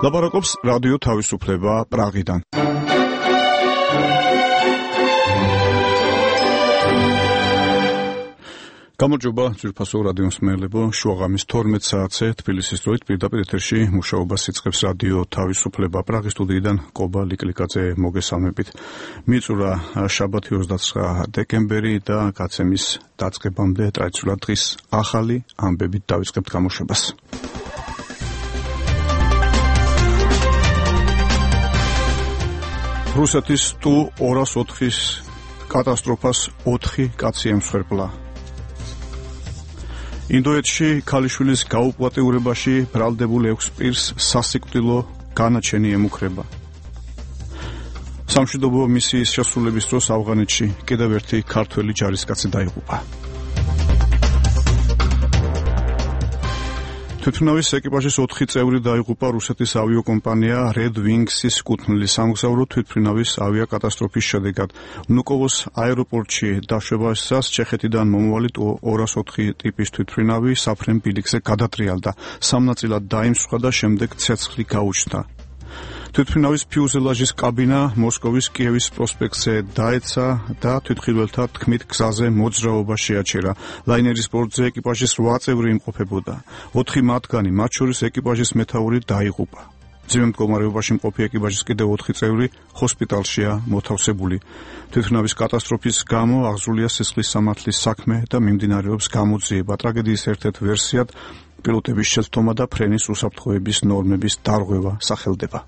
ლაპარაკობს რადიო თავისუფლება პრაღიდან. გამარჯობა ძვირფასო რადიო მსმენელებო, შუაღამის 12 საათზე თბილისის დროით პირდაპირ ეთერში მუშაობას იწყებს რადიო თავისუფლება პრაღის სტუდიიდან კობა ლიკლიკაძე მოგესალმებით. მიწურა შაბათი 29 დეკემბერი და გაცემის დაწყებამდე ტრადიციულად დღის ახალი ამბებით დავიწყებთ გამოშვებას. რუსეთის Tu-204-ის კატასტროფას 4 კაცი ემსხვერპლა. ინდოეთში ქალიშვილის გაუპატიურებაში ბრალდებულ 6 პირს სასიკვდილო განაჩენი ემუქრება. სამშვიდობო მისიის შესრულების დროს ავღანეთში კიდევ ერთი ქართველი ჯარისკაცი დაიღუპა. თვითმფრინავის ეკიპაჟის 4 წევრი დაიღუპა რუსეთის ავიაკომპანია Red Wings-ის კუთვნილი სამგზავრო თვითმფრინავის ავიაკატასტროფის შედეგად. ვნუკოვოს აეროპორტში დაშვებისას ჩეხეთიდან მომავალი Tu-204 ტიპის თვითმფრინავი საფრენ ბილიკზე გადატრიალდა. 3 ნაწილად დაიმსხვრა და შემდეგ ცეცხლი გაუჩნდა. თვითმფრინავის ფიუზელაჟის კაბინა მოსკოვის კიევის პროსპექტზე დაეცა და თვითმფრინველთა თქმით გზაზე მოძრაობა შეაჩერა. ლაინერის ბორტზე ეკიპაჟის 8 წევრი იმყოფებოდა. 4 მათგანი, მათ შორის ეკიპაჟის მეთაური დაიღუპა. ძიმე მდგომარეობაში მყოფი ეკიპაჟის კიდევ 4 წევრი ჰოსპიტალშია მოთავსებული. თვითმფრინავის კატასტროფის გამო აღზრულია სისხლის სამართლის საქმე და მიმდინარეობს გამოძიება. ტრაგედიის ერთ-ერთ ვერსიად პილოტების შეცდომა და ფრენის უსაფრთხოების ნორმების დარღვევა სახელდება.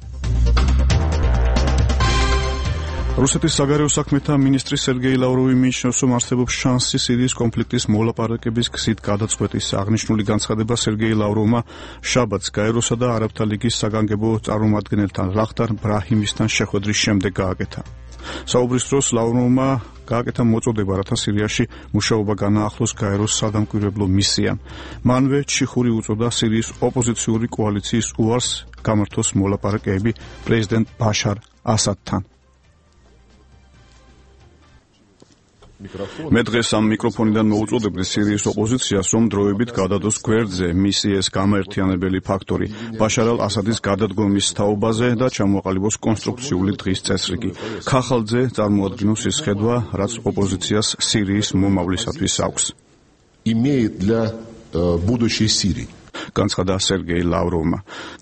რუსეთის საგარეო საქმეთა მინისტრი სერგეი ლავროვი მიიჩნევს, რომ არსებობს შანსი სირიის კონფლიქტის მოლაპარაკების გზით გადაწყვეტის. აღნიშნული განცხადება სერგეი ლავროვმა შაბათს გაეროსა და არაბთა ლიგის საგანგებო წარმომადგენელთან ლახტარ ბრაჰიმისთან შეხვედრის შემდეგ გააკეთა. საუბრის დროს ლავროვმა გააკეთა მოწოდება, რათა სირიაში მუშაობა განაახლოს გაეროს სადამკვირვებლო მისიამ. მანვე ჩიხური უწოდა სირიის ოპოზიციური კოალიციის უარს გამართოს მოლაპარაკეები პრეზიდენტ ბაშარ ასადთან. მე დღეს ამ მიკროფონიდან მოუწოდებდი სირიის ოპოზიციას, რომ დროებით გადადოს გვერდზე მისი ეს გამაერთიანებელი ფაქტორი ბაშარ ალ-ასადის გადადგომის თაობაზე და ჩამოაყალიბოს კონსტრუქციული დღის წესრიგი. ქახალძე წარმოადგინოს ის ხედვა, რაც ოპოზიციას სირიის მომავლისათვის აქვს. Имеет для будущей Сирии. განცხადა სერგეი ლავროვმა.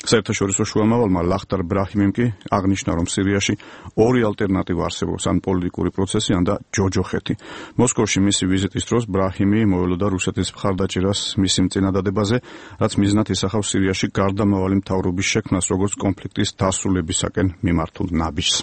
საერთაშორისო შუამავალმა ლახტარ ბრაჰიმიმ კი აღნიშნა, რომ სირიაში 2 ალტერნატივა არსებობს, ან პოლიტიკური პროცესი, ან და ჯოჯოხეთი. მოსკოვში მისი ვიზიტის დროს ბრაჰიმი მოელოდა რუსეთის მხარდაჭერას მისი წინადადებაზე, რაც მიზნად ისახავს სირიაში გარდამავალი მთავრობის შექმნას, როგორც კონფლიქტის დასრულებისაკენ მიმართულ ნაბიჯს.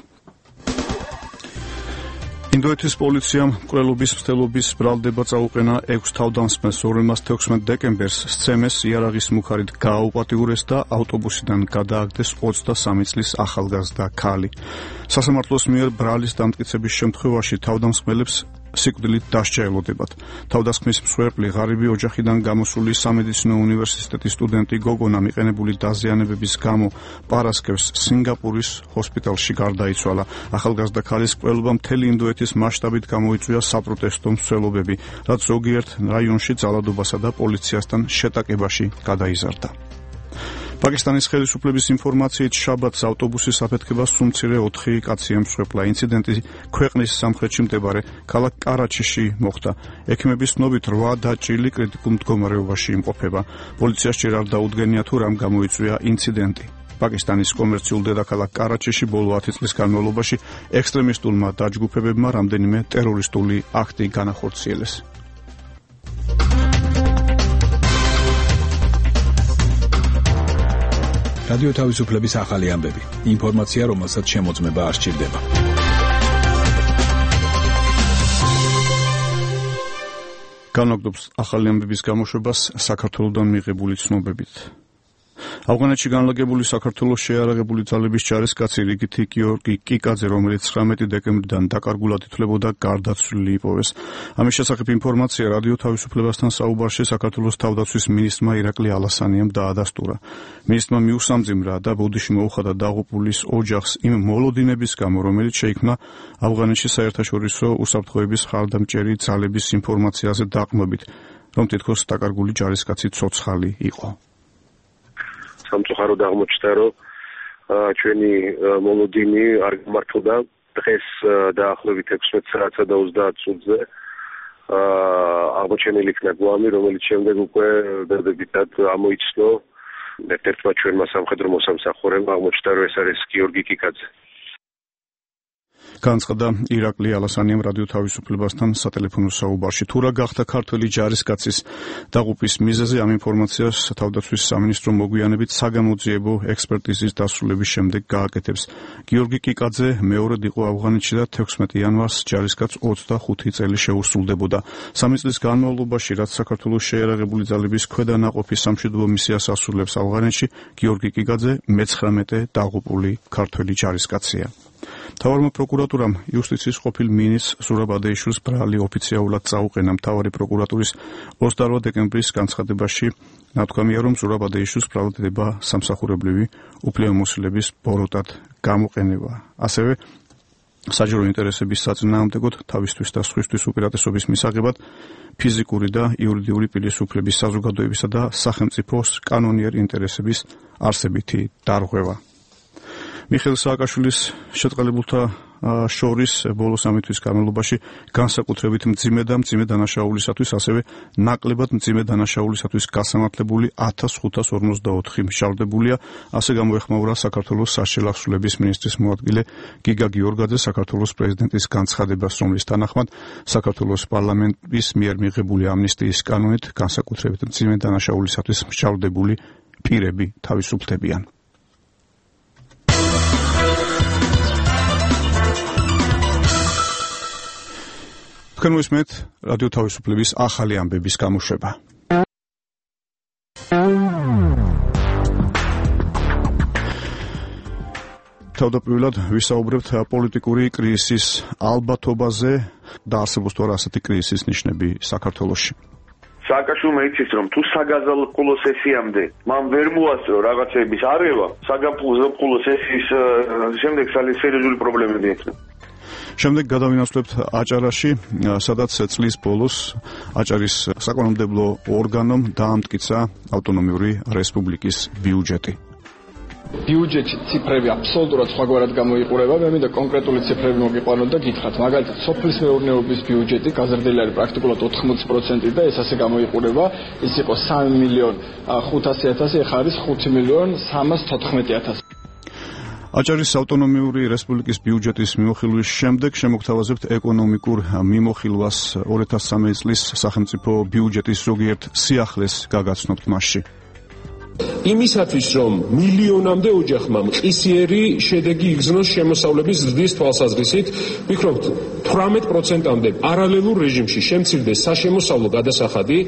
ინდოეთის პოლიციამ მკვლელობის მცდელობის ბრალდება წაუყენა 6 თავდამსხმელს, რომელმაც 16 დეკემბერს სცემეს იარაღის მუხარით გააუპატიურეს და ავტობუსიდან გადააგდეს 23 წლის ახალგაზრდა ქალი. სასამართლოს მიერ ბრალის დამტკიცების შემთხვევაში თავდამსხმელებს სიკვდილით დასჯა ელოდებათ. თავდასხმის მსხვერპლი ღარიბი ოჯახიდან გამოსული სამედიცინო უნივერსიტეტის სტუდენტი გოგონა მიყენებული დაზიანებების გამო პარასკევს სინგაპურის ჰოსპიტალში გარდაიცვალა. ახალგაზრდა ქალის მკვლელობა მთელი ინდოეთის მასშტაბით გამოიწვია საპროტესტო მსვლელობები, რაც ზოგიერთ რაიონში ძალადობასა და პოლიციასთან შეტაკებაში გადაიზარდა. პაკისტანის ხელისუფლების ინფორმაციით შაბათს ავტობუსის აფეთქებას სულ მცირე 4 კაცი ემსხვერპლა. ინციდენტი ქვეყნის სამხრეთში მდებარე ქალაქ კარაჩიში მოხდა. ექიმების ცნობით 8 დაჭრილი კრიტიკულ მდგომარეობაში იმყოფება. პოლიციას ჯერ არ დაუდგენია თუ რამ გამოიწვია ინციდენტი. პაკისტანის კომერციულ დედაქალაქ კარაჩიში ბოლო 10 წლის განმავლობაში ექსტრემისტულმა დაჯგუფებებმა რამდენიმე ტერორისტული აქტი განახორციელეს. რადიო თავისუფლების ახალი ამბები. ინფორმაცია, რომელსაც შემოწმება არ სჭირდება. განაგდობს ახალი ამბების გამოშვებას საქართველოსდან მიღებული ცნობებით. ავღანეთში განლაგებული საქართველოს შეიარაღებული ძალების ჯარისკაცი რიგითი გიორგი კიკაძე, რომელიც 19 დეკემბრიდან დაკარგულად ითვლებოდა, გარდაცვლილი იპოვეს. ამის შესახებ ინფორმაცია რადიო თავისუფლებასთან საუბარში საქართველოს თავდაცვის მინისტრმა ირაკლი ალასანიამ დაადასტურა. მინისტრმა მიუსამძიმრა და ბუდიში მოუხადა დაღუპულის ოჯახს იმ მოლოდინების გამო, რომელიც შეიქმნა ავღანეთში საერთაშორისო უსაფრთხოების მხარდამჭერი ძალების ინფორმაციაზე დაყრდნობით, რომ თითქოს დაკარგული ჯარისკაცი ცოცხალი იყო. სამწუხაროდ აღმოჩნდა, რომ ჩვენი მოლოდინი არ გამართლდა დღეს დაახლოებით 16 საათსა და 30 წუთზე აღმოჩენილი იქნა გვამი, რომელიც შემდეგ უკვე დადებითად ამოიცნო ერთ-ერთმა ჩვენმა სამხედრო მოსამსახურემ აღმოჩნდა, რომ ეს არის გიორგი კიკაძე. განცხადა ირაკლი ალასანიამ რადიო თავისუფლებასთან სატელეფონო საუბარში. თუ რა გახდა ქართველი ჯარისკაცის დაღუპვის მიზეზი, ამ ინფორმაციას თავდაცვის სამინისტრო მოგვიანებით საგამოძიებო ექსპერტიზის დასრულების შემდეგ გააკეთებს. გიორგი კიკაძე მეორედ იყო ავღანეთში და 16 იანვარს ჯარისკაც 25 წელი შეუსრულდებოდა. 3 წლის განმავლობაში, რაც საქართველოს შეიარაღებული ძალების ქვედანაყოფის სამშვიდობო მისიას ასრულებს ავღანეთში, გიორგი კიკაძე მე-19 დაღუპული ქართველი ჯარისკაცია. მთავარმა პროკურატურამ იუსტიციის ყოფილ მინისტრ ზურაბ ადეიშვილს ბრალი ოფიციალურად წაუყენა. მთავარი პროკურატურის 28 დეკემბრის განცხადებაში ნათქვამია, რომ ზურაბ ადეიშვილს ბრალდება სამსახურებრივი უფლებამოსილების ბოროტად გამოყენება. ასევე საჯარო ინტერესების საწინააღმდეგოდ თავისთვის და სხვისთვის უპირატესობის მისაღებად ფიზიკური და იურიდიული პირისუფლების საზოგადოებისა და სახელმწიფოს კანონიერი ინტერესების არსებითი დარღვევა. მიხეილ სააკაშვილის შეწყალებულთა შორის ბოლო 3 თვის განმავლობაში განსაკუთრებით მძიმე და მძიმე დანაშაულისათვის, ასევე ნაკლებად მძიმე დანაშაულისათვის გასამართლებული 1554 მშავდებულია. ასე გამოეხმაურა საქართველოს საშელახსრულების მინისტრის მოადგილე გიგა გიორგაძე საქართველოს პრეზიდენტის განცხადებას, რომლის თანახმად საქართველოს პარლამენტის მიერ მიღებული ამნისტიის კანონით განსაკუთრებით მძიმე დანაშაულისათვის მშავდებული პირები თავისუფლდებიან. თქვენ მოისმენთ რადიო თავისუფლების ახალი ამბების გამოშვება. თავდაპირველად ვისაუბრებთ პოლიტიკური კრიზისის ალბათობაზე და არსებობს თუ არა ასეთი კრიზისის ნიშნები საქართველოში. სააკაშვილმა იცის, რომ თუ საგაზაფხულო სესიამდე მან ვერ მოასწრო რაღაცების არევა, საგაზაფხულო სესიის შემდეგ სერიოზული პრობლემები ექნება. შემდეგ გადავინაცვლებთ აჭარაში, სადაც წლის ბოლოს აჭარის საკანონმდებლო ორგანომ დაამტკიცა ავტონომიური რესპუბლიკის ბიუჯეტი. ბიუჯეტის ციფრები აბსოლუტურად სხვაგვარად გამოიყურება. მე მინდა კონკრეტული ციფრები მოგიყვანოთ და გითხრათ. მაგალითად, სოფლის მეურნეობის ბიუჯეტი გაზრდილი არის პრაქტიკულად 80% და ეს ასე გამოიყურება. ის იყო 3.500.000, ეხლა არის 5.314.000. აჭარის ავტონომიური რესპუბლიკის ბიუჯეტის მიმოხილვის შემდეგ შემოგთავაზებთ ეკონომიკურ მიმოხილვას 2013 წლის სახელმწიფო ბიუჯეტის ზოგიერთ სიახლეს გაგაცნობთ მასში. იმისათვის, რომ მილიონამდე ოჯახმა მყისიერი შედეგი იგრძნოს შემოსავლების ზრდის თვალსაზრისით, ვფიქრობთ 18%-მდე პარალელურ რეჟიმში შემცირდეს საშემოსავლო გადასახადი.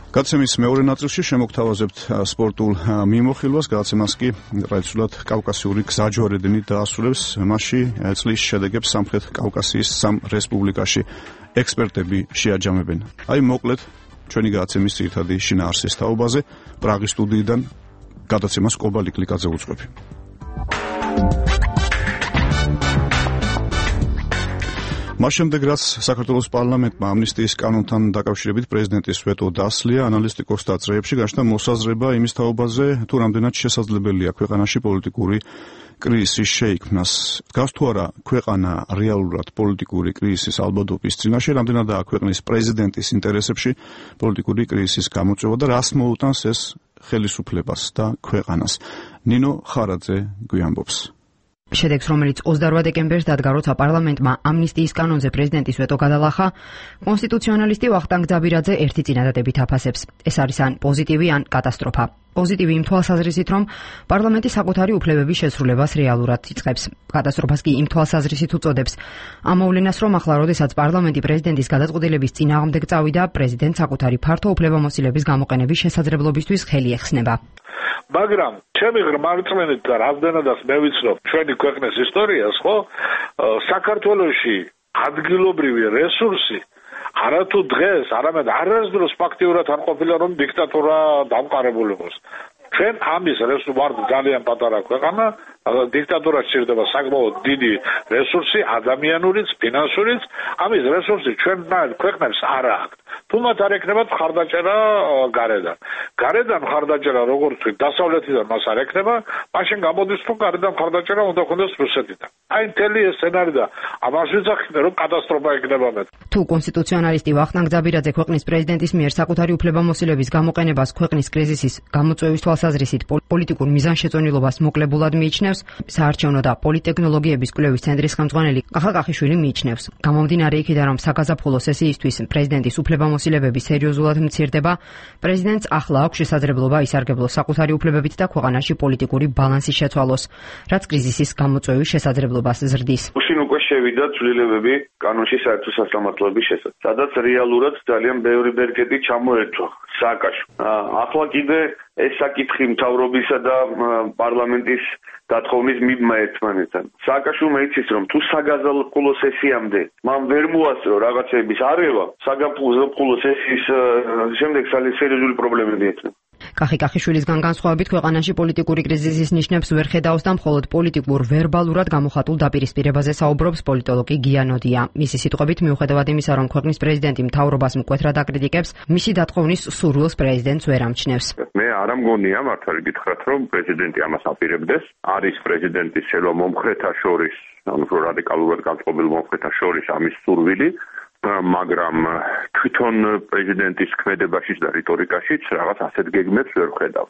გადაცემის მეორე ნაწილში შემოგთავაზებთ სპორტულ მიმოხილვას, გადაცემას კი ტრადიციულად კავკასიური გზაჯვარედინი დაასრულებს. მასში წლის შედეგებს სამხრეთ კავკასიის 3 რესპუბლიკაში ექსპერტები შეაჯამებენ. აი მოკლედ ჩვენი გადაცემის ძირითადი შინაარსის თაობაზე პრაღის სტუდიიდან გადაცემას კობალი კლიკაძე უძღვები. მას შემდეგ, რაც საქართველოს პარლამენტმა ამნისტიის კანონთან დაკავშირებით პრეზიდენტის ვეტო დასლია, ანალისტიკოსთა წრეებში გაჩნდა მოსაზრება იმის თაობაზე, თუ რამდენად შესაძლებელია ქვეყანაში პოლიტიკური კრიზისის შეიქმნას. დგას თუ არა ქვეყანა რეალურად პოლიტიკური კრიზისის ალბათობის წინაშე, რამდენადაა ქვეყნის პრეზიდენტის ინტერესებში პოლიტიკური კრიზისის გამოწვევა და რას მოუტანს ეს ხელისუფლებას და ქვეყანას. ნინო ხარაძე გვიამბობს. შედეგს, რომელიც 28 დეკემბერს დადგა, როცა პარლამენტმა ამნისტიის კანონზე პრეზიდენტის ვეტო გადალახა, კონსტიტუციონალისტი ვახტანგ ძაბირაძე ერთი წინადადებით აფასებს. ეს არის ან პოზიტივი, ან კატასტროფა. პოზიტივი იმ თვალსაზრისით, რომ პარლამენტი საკუთარი უფლებების შესრულებას რეალურად იწყებს. კატასტროფას კი იმ თვალსაზრისით უწოდებს. ამ მოვლენას, რომ ახლა, როდესაც პარლამენტი პრეზიდენტის გადაწყვეტილების წინააღმდეგ წავიდა, პრეზიდენტს საკუთარი ფართო უფლებამოსილების გამოყენების შესაძლებლობისთვის ხელი ეხსნება. მაგრამ ჩემი ღრმა რწმენით და რამდენადაც მე ვიცნობ ჩვენი ქვეყნის ისტორიას, ხო, საქართველოში ადგილობრივი რესურსი არათუ დღეს, არამედ არასდროს ფაქტიურად არ ყოფილა, რომ დიქტატურა დამყარებულ იყოს. ჩვენ ამის ვართ ძალიან პატარა ქვეყანა, დიქტატურას სჭირდება საკმაოდ დიდი რესურსი, ადამიანურიც, ფინანსურიც. ამის რესურსი ჩვენნაირ ქვეყნებს არ აქვს. თუ მათ არ ექნებათ მხარდაჭერა გარედან. გარედან მხარდაჭერა როგორც ვთქვით, დასავლეთიდან მას არ ექნება, მაშინ გამოდის თუ გარედან მხარდაჭერა უნდა ქონდეს რუსეთიდან. აი მთელი ეს სცენარი და ამას ვიძახით, რომ კატასტროფა იქნება მეტ. თუ კონსტიტუციონალისტი ვახტანგ ძაბირაძე ქვეყნის პრეზიდენტის მიერ საკუთარი უფლებამოსილების გამოყენებას ქვეყნის კრიზისის გამოწვევის თვალსაზრისით პოლიტიკურ მიზანშეწონილობას მოკლებულად მიიჩნევს, საარჩევნო და პოლიტექნოლოგიების კვლევის ცენტრის ხელმძღვანელი კახა კახიშვილი მიიჩნევს. გამომდინარე იქიდან, რომ საგაზაფხულო სესიისთვის პრეზიდენტის უფლებამოსილებები სერიოზულად მცირდება, პრეზიდენტს ახლა აქვს შესაძლებლობა ისარგებლოს საკუთარი უფლებებით და ქვეყანაში პოლიტიკური ბალანსი შეცვალოს, რაც კრიზისის გამოწვევის შესაძლებლობას ზრდის. უშინ უკვე შევიდა ცვლილებები კანონში საერთო სასამართლოების შესახებ, სადაც რეალურად ძალიან ბევრი ბერკეტი ჩამოერთვა სააკაშო. ახლა კიდე ეს საკითხი მთავრობისა და პარლამენტის დათხოვნის მიბმა ერთმანეთთან. სააკაშვილმა იცის, რომ თუ საგაზაფხულო სესიამდე მან ვერ მოასწრო რაღაცების არევა, საგაზაფხულო სესიის შემდეგ სერიოზული პრობლემები ექნება. კახი კახიშვილისგან განსხვავებით ქვეყანაში პოლიტიკური კრიზისის ნიშნებს ვერ ხედავს და მხოლოდ პოლიტიკურ ვერბალურად გამოხატულ დაპირისპირებაზე საუბრობს პოლიტოლოგი გია ნოდია. მისი სიტყვებით, მიუხედავად იმისა, რომ ქვეყნის პრეზიდენტი მთავრობას მკვეთრად აკრიტიკებს, მისი დათხოვნის სურვილს პრეზიდენტს ვერ ამჩნევს. მე არ ამგონია მართალი გითხრათ, რომ პრეზიდენტი ამას აპირებდეს. არის პრეზიდენტის შელვა მომხრეთა შორის, ანუ რადიკალურად განწყობილ მომხრეთა შორის ამის სურვილი, მაგრამ თვითონ პრეზიდენტის ქმედებაში და რიტორიკაშიც რაღაც ასეთ გეგმებს ვერ ვხედავ.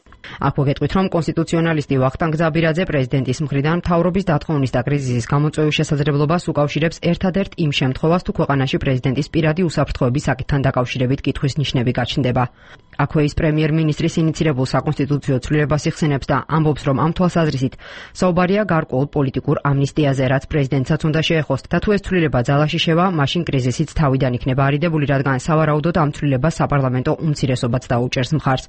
აქვე გეტყვით, რომ კონსტიტუციონალისტი ვახტანგ ძაბირაძე პრეზიდენტის მხრიდან მთავრობის დათხოვნის და კრიზისის გამოწვევის შესაძლებლობას უკავშირებს ერთადერთ იმ შემთხვევას, თუ ქვეყანაში პრეზიდენტის პირადი უსაფრთხოების საკითხთან დაკავშირებით კითხვის ნიშნები გაჩნდება. აქვე ის პრემიერ-მინისტრის ინიცირებულ საკონსტიტუციო ცვლილებას იხსენებს და ამბობს, რომ ამ თვალსაზრისით საუბარია გარკვეულ პოლიტიკურ ამნისტიაზე, რაც პრეზიდენტსაც უნდა შეეხოს და თუ ეს ცვლილება ძალაში შევა, მაშინ კრიზისიც თავიდან იქნება არიდებული, რადგან სავარაუდოდ ამ ცვლილებას საპარლამენტო უმცირესობაც დაუჭერს მხარს,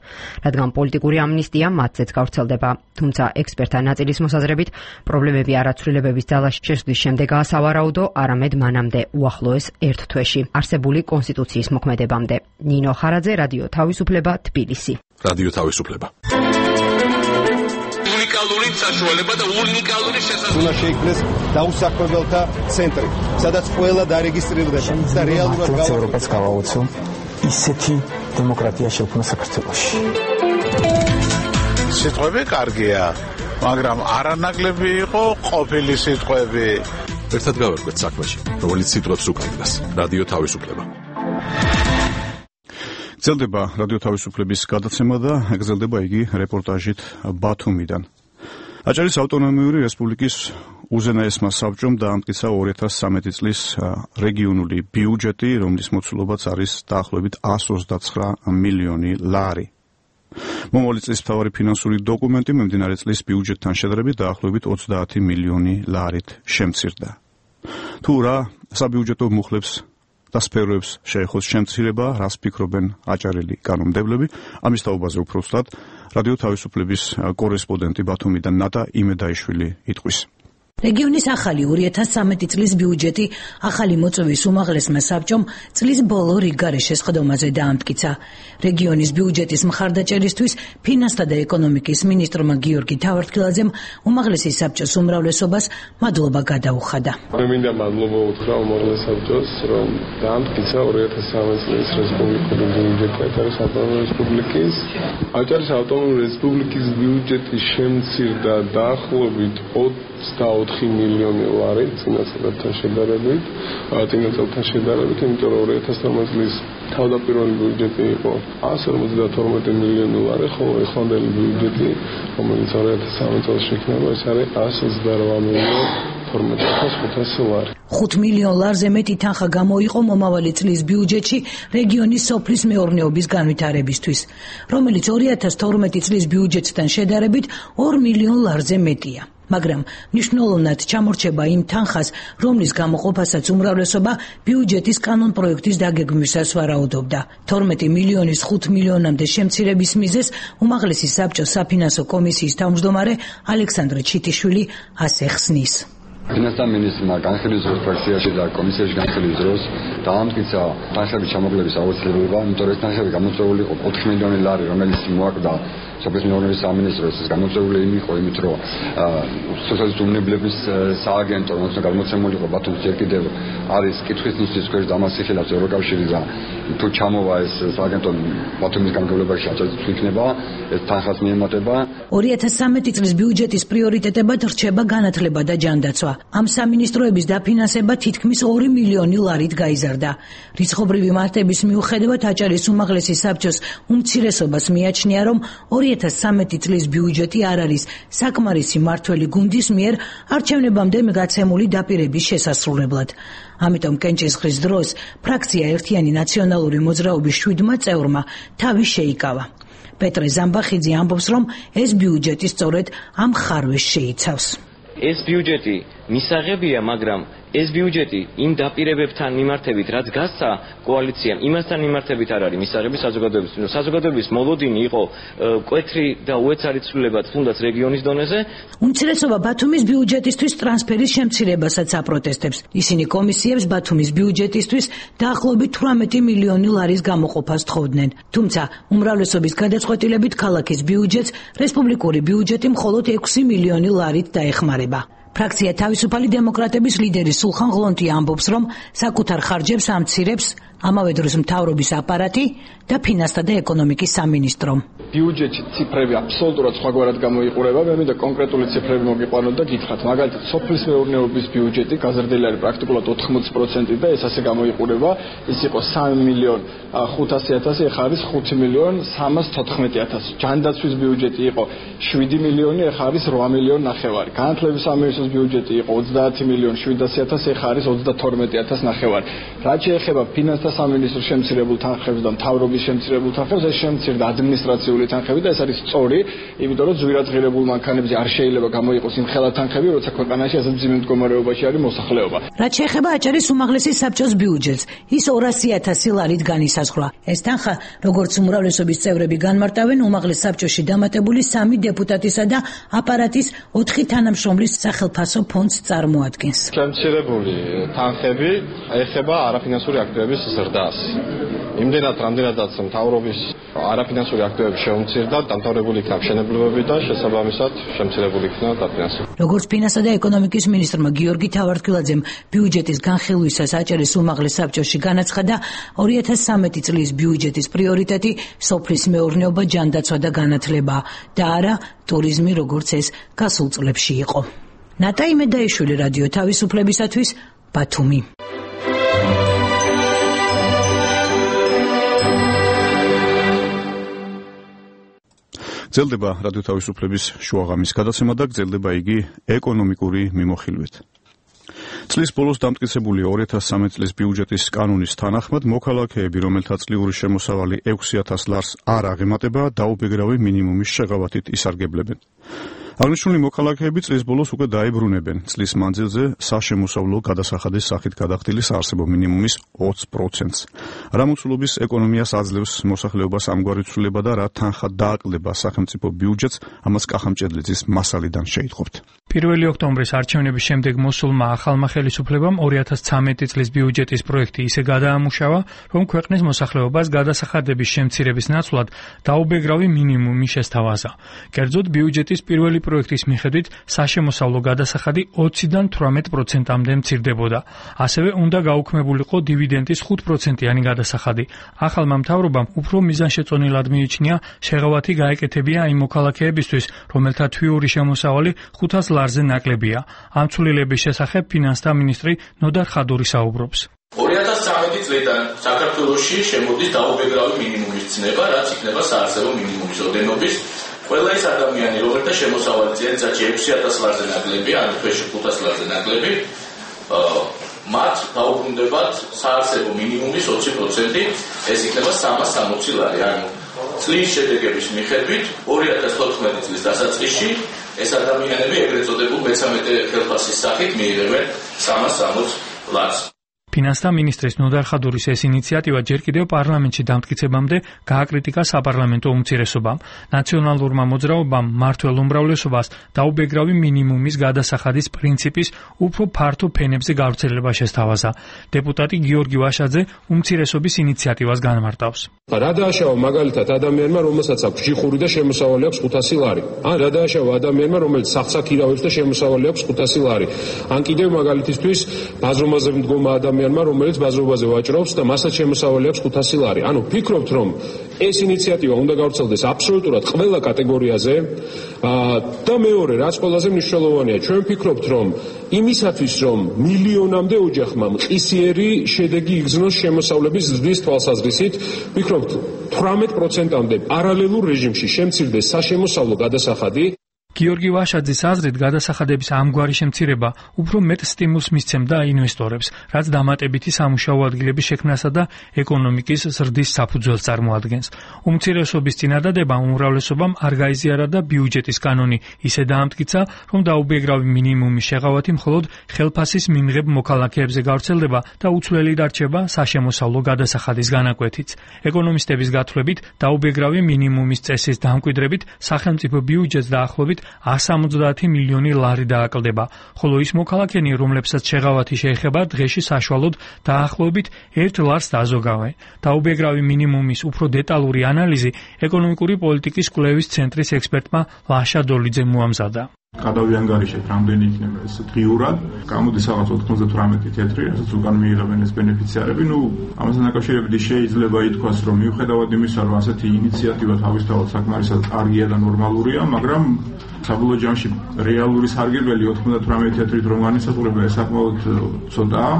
რადგან პოლიტიკური ამნისტია მათზეც გავრცელდება. თუმცა ექსპერტთა ნაწილის მოსაზრებით, პრობლემები არა ცვლილებების ძალაში შესვლის შემდეგაა სავარაუდო, არამედ მანამდე, უახლოეს ერთ თვეში არსებული კონსტიტუციის მოქმედებამდე. ნინო ხარაძე, რადიო თავისუფლება, თბილისი. რადიო თავისუფლება. უნიკალური საშუალება და უნიკალური შესაძლებლობა. უნდა შეიქმნეს დაუსახლებელთა ცენტრი, სადაც ყველა დარეგისტრირდება და რეალურად ევროპას გავაუწევ ისეთი დემოკრატია შექმნა საქართველოში. სიტყვები კარგია, მაგრამ არანაკლები იყო ყოფილი სიტყვები. ერთად გავერკვეთ საქმეში, რომელიც სიტყვებს უკავშირდება. რადიო თავისუფლება. გრძელდება რადიო თავისუფლების გადაცემა და გრძელდება იგი რეპორტაჟით ბათუმიდან. აჭარის ავტონომიური რესპუბლიკის უზენაესმა საბჭომ დაამტკიცა 2013 წლის რეგიონული ბიუჯეტი, რომლის მოცულობაც არის დაახლოებით 129 მილიონი ლარი. მომავალი წლის მთავარი ფინანსური დოკუმენტი მიმდინარე წლის ბიუჯეტთან შედარებით დაახლოებით 30 მილიონი ლარით შემცირდა. თუ რა საბიუჯეტო მუხლებს და სფეროებს შეეხოს შემცირება, რას ფიქრობენ აჭარელი კანონმდებლები, ამის თაობაზე უფრო სწორად რადიო თავისუფლების კორესპონდენტი ბათუმიდან ნატა იმედაიშვილი იტყვის. რეგიონის ახალი 2013 წლის ბიუჯეტი ახალი მოწვევის უმაღლესმა საბჭომ წლის ბოლო რიგგარეშე სხდომაზე დაამტკიცა. რეგიონის ბიუჯეტის მხარდაჭერისთვის ფინანსთა და ეკონომიკის მინისტრმა გიორგი თავართქილაძემ უმაღლესი საბჭოს უმრავლესობას მადლობა გადაუხადა. მე მინდა მადლობა უთხრა უმაღლეს საბჭოს, რომ დაამტკიცა 2013 წლის რესპუბლიკური ბიუჯეტი აჭარის ავტონომიური რესპუბლიკის. აჭარის ავტონომიური რესპუბლიკის ბიუჯეტი შემცირდა დაახლოებით 24 მილიონი ლარი წინა წელთან შედარებით, იმიტომ რომ 2012 წლის თავდაპირველი ბიუჯეტი იყო 152 მილიონი ლარი, ხოლო ეხლანდელი ბიუჯეტი, რომელიც 2013 წელს შექმნა, ეს არის 128 მილიონი 12,500 ლარი. 5 მილიონ ლარზე მეტი თანხა გამოიყო მომავალი წლის ბიუჯეტში რეგიონის სოფლის მეურნეობის განვითარებისთვის, რომელიც 2012 წლის ბიუჯეტთან შედარებით 2 მილიონ ლარზე მეტია. მაგრამ მნიშვნელოვნად ჩამორჩება იმ თანხას, რომლის გამოყოფასაც უმრავლესობა ბიუჯეტის კანონპროექტის დაგეგმვისას ვარაუდობდა. 12 მილიონის 5 მილიონამდე შემცირების მიზეზს უმაღლესი საბჭოს საფინანსო კომისიის თავმჯდომარე ალექსანდრე ჩიტიშვილი ასე ხსნის. ფინანსთა მინისტრმა განხილვის დროს ფრაქციაში და კომისიაში განხილვის დროს დაამტკიცა თანხების ჩამოგლების აუცილებლობა, იმიტომ რომ ეს თანხები გამოწვეული იყო 4 მილიონი ლარი, რომელიც მოაკვდა სოფლის მეურნეობის სამინისტროს. ეს გამოწვეული იყო იმით, რომ სოციალისტური უნებლების სააგენტო, რომელიც გამოცემული იყო ბათუმში ჯერ კიდევ არის კითხვის ნისლის ქვეშ დამასიხილავს ევროკავშირი და თუ ჩამოვა ეს სააგენტო ბათუმის გამგებლობაში აჭარით იქნება, ეს თანხას მიემატება. 2013 წლის ბიუჯეტის პრიორიტეტებად რჩება განათლება და ჯანდაცვა. ამ სამინისტროების დაფინანსება თითქმის 2 მილიონი ლარით გაიზარდა. რიცხობრივი მართების მიუხედავად აჭარის უმაღლესი საბჭოს უმცირესობას მიაჩნია, რომ 2013 წლის ბიუჯეტი არ არის საკმარისი მმართველი გუნდის მიერ არჩევნებამდე გაცემული დაპირების შესასრულებლად. ამიტომ კენჭისყრის დროს ფრაქცია ერთიანი ნაციონალური მოძრაობის 7 წევრმა თავი შეიკავა. პეტრე ზამბახიძე ამბობს, რომ ეს ბიუჯეტი სწორედ ამ ხარვეს შეიცავს. ეს ბიუჯეტი მისაღებია, მაგრამ ეს ბიუჯეტი იმ დაპირებებთან მიმართებით, რაც გასცა კოალიციამ, იმასთან მიმართებით არ არის მისაღები საზოგადოებისთვის. საზოგადოების მოლოდინი იყო მკვეთრი და უეცარი ცვლილებაც თუნდაც რეგიონის დონეზე. უმცირესობა ბათუმის ბიუჯეტისთვის ტრანსფერის შემცირებასაც აპროტესტებს. ისინი კომისიებს ბათუმის ბიუჯეტისთვის დაახლოებით 18 მილიონი ლარის გამოყოფას თხოვდნენ. თუმცა უმრავლესობის გადაწყვეტილებით ქალაქის ბიუჯეტს რესპუბლიკური ბიუჯეტი მხოლოდ 6 მილიონი ლარით დაეხმარება. ფრაქცია თავისუფალი დემოკრატების ლიდერი სულხან ღლონტი ამბობს, რომ საკუთარ ხარჯებს ამცირებს ამავე დროს მთავრობის აპარატი და ფინანსთა და ეკონომიკის სამინისტრო. ბიუჯეტში ციფრები აბსოლუტურად სხვაგვარად გამოიყურება. მე მინდა კონკრეტული ციფრები მოგიყვანოთ და გითხრათ. მაგალითად, სოფლის მეურნეობის ბიუჯეტი გაზრდილი არის პრაქტიკულად 80% და ეს ასე გამოიყურება. ის იყო 3.500.000, ეხლა არის 5.314.000. ჯანდაცვის ბიუჯეტი იყო 7 მილიონი, ეხლა არის 8.9 მილიონი. განათლების სამინისტროს ბიუჯეტი იყო 30.700.000, ეხლა არის 32.9 მილიონი. რაც შეეხება ფინანსთა სამინისტროს შემცირებულ თანხებს და მთავრობის შემცირებულ თანხებს, ეს შემცირდა ადმინისტრაციული თანხები და ეს არის სწორი, იმიტომ რომ ძვირადღირებულ მანქანებზე არ შეიძლება გამოიყოს იმ ხელა თანხები, როცა ქვეყანაში ასე მძიმე მდგომარეობაში არის მოსახლეობა. რაც შეეხება აჭარის უმაღლესი საბჭოს ბიუჯეტს, ის 200.000 ლარით განისაზღვრა. ეს თანხა, როგორც უმრავლესობის წევრები განმარტავენ, უმაღლეს საბჭოში დამატებული 3 დეპუტატისა და აპარატის 4 თანამშრომლის სახელფასო ფონდს წარმოადგენს. შემცირებული თანხები ეხება არაფინანსური აქტივების ზრდას. იმდენად, რამდენადაც მთავრობის არაფინანსური აქტივები შეუმცირდა, დამთავრებული იქნა მშენებლობები და შესაბამისად შემცირებული იქნა დაფინანსება. როგორც ფინანსთა და ეკონომიკის მინისტრმა გიორგი თავართქილაძემ ბიუჯეტის განხილვისას აჭარის უმაღლეს საბჭოში განაცხადა, 2013 წლის ბიუჯეტის პრიორიტეტი სოფლის მეურნეობა, ჯანდაცვა და განათლება და არა ტურიზმი, როგორც ეს გასულ წლებში იყო. ნატაი მედაიშვილი, რადიო თავისუფლებისათვის, ბათუმი. გრძელდება რადიო თავისუფლების შუაღამის გადაცემა და გრძელდება იგი ეკონომიკური მიმოხილვით. წლის ბოლოს დამტკიცებული 2013 წლის ბიუჯეტის კანონის თანახმად მოქალაქეები, რომელთა წლიური შემოსავალი 6,000 ლარს არ აღემატება, დაუბეგრავი მინიმუმის შეღავათით ისარგებლებენ. აღნიშნული მოქალაქეები წლის ბოლოს უკვე დაებრუნებენ წლის მანძილზე საშემოსავლო გადასახადის სახით გადახდილის არსებობ მინიმუმის 20%-ს. რა მოცულობის ეკონომიას აძლევს მოსახლეობას ამგვარი ცვლილება და რა თანხა დააკლდება სახელმწიფო ბიუჯეტს, ამას კახა მჭედლიძის მასალიდან შეიტყობთ. 1 ოქტომბრის არჩევნების შემდეგ მოსულმა ახალმა ხელისუფლებამ 2013 წლის ბიუჯეტის პროექტი ისე გადაამუშავა, რომ ქვეყნის მოსახლეობას გადასახადების შემცირების ნაცვლად დაუბეგრავი მინიმუმი შესთავაზა. კერძოდ ბიუჯეტის პირველი პროექტის მიხედვით საშემოსავლო გადასახადი 20-დან 18%-მდე მცირდებოდა. ასევე უნდა გაუქმებულიყო დივიდენდის 5%-იანი გადასახადი. ახალმა მთავრობამ უფრო მიზანშეწონილად მიიჩნია შეღავათი გაეკეთებია იმ მოქალაქეებისთვის, რომელთა თვიური შემოსავალი 500 ლარზე ნაკლებია. ამ ცვლილების შესახებ ფინანსთა მინისტრი ნოდარ ხადური საუბრობს. 2013 წლიდან საქართველოში შემოდის დაუბეგრავი მინიმუმის ცნება, რაც იქნება საარსებო მინიმუმის ოდენობის. ყველა ის ადამიანი, რომელთა შემოსავალი წელიწადში 6,000 ლარზე ნაკლებია, ანუ თვეში 500 ლარზე ნაკლები, მათ დაუბრუნდებათ საარსებო მინიმუმის 20%, ეს იქნება 360 ლარი, ანუ წლის შედეგების მიხედვით 2014 წლის დასაწყისში ეს ადამიანები ეგრეთ წოდებულ მე-13 ხელფასის სახით მიიღებენ 360 ლარს. ფინანსთა მინისტრის ნოდარ ხადურის ეს ინიციატივა ჯერ კიდევ პარლამენტში დამტკიცებამდე გააკრიტიკა საპარლამენტო უმცირესობამ. ნაციონალურმა მოძრაობამ მმართველ უმრავლესობას დაუბეგრავი მინიმუმის გადასახადის პრინციპის უფრო ფართო ფენებზე გავრცელება შესთავაზა. დეპუტატი გიორგი ვაშაძე უმცირესობის ინიციატივას განმარტავს. რა დააშავა მაგალითად ადამიანმა, რომელსაც აქვს ჯიხური და შემოსავალი აქვს 500 ლარი. ან რა დააშავა ადამიანმა, რომელიც სახსა ქირავებს და შემოსავალი აქვს 500 ლარი. ან კიდევ მაგალითისთვის ბაზრობაზე მდგომა ადამიანმა, რომელიც ბაზრობაზე ვაჭრობს და მასაც შემოსავალი აქვს 500 ლარი. ანუ ფიქრობთ, რომ ეს ინიციატივა უნდა გავრცელდეს აბსოლუტურად ყველა კატეგორიაზე და მეორე, რაც ყველაზე მნიშვნელოვანია, ჩვენ ვფიქრობთ, რომ იმისათვის, რომ მილიონამდე ოჯახმა მყისიერი შედეგი იგრძნოს შემოსავლების ზრდის თვალსაზრისით, ვფიქრობთ 18%-მდე პარალელურ რეჟიმში შემცირდეს საშემოსავლო გადასახადი. გიორგი ვაშაძის აზრით გადასახადების ამგვარი შემცირება უფრო მეტ სტიმულს მისცემდა ინვესტორებს, რაც დამატებითი სამუშაო ადგილების შექმნასა და ეკონომიკის ზრდის საფუძველს წარმოადგენს. უმცირესობის წინადადებამ უმრავლესობამ არ გაიზიარა და ბიუჯეტის კანონი ისე დაამტკიცა, რომ დაუბეგრავი მინიმუმის შეღავათი მხოლოდ ხელფასის მიმღებ მოქალაქეებზე გავრცელდება და უცვლელი დარჩება საშემოსავლო გადასახადის განაკვეთიც. ეკონომისტების გათვლებით დაუბეგრავი მინიმუმის წესის დამკვიდრებით სახელმწიფო ბიუჯეტს დაახლოებით 170 მილიონი ლარი დააკლდება, ხოლო ის მოქალაქენი, რომლებსაც შეღავათი შეეხება, დღეში საშუალოდ დაახლოებით 1 ლარს დაზოგავენ. დაუბეგრავი მინიმუმის უფრო დეტალური ანალიზი ეკონომიკური პოლიტიკის კვლევის ცენტრის ექსპერტმა ლაშა დოლიძემ მოამზადა. გადავიანგარიშეთ რამდენი იქნება ეს დღიურად, გამოდის რაღაც 98 თეთრი, რასაც უკან მიიღებენ ეს ბენეფიციარები. ამასთან დაკავშირებით შეიძლება ითქვას, რომ მიუხედავად იმისა, რომ ასეთი ინიციატივა თავისთავად საკმარისად კარგია და ნორმალურია, მაგრამ საბოლოო ჯამში რეალური სარგებელი 98 თეთრით რომ განისაზღვრება ეს საკმაოდ ცოტაა.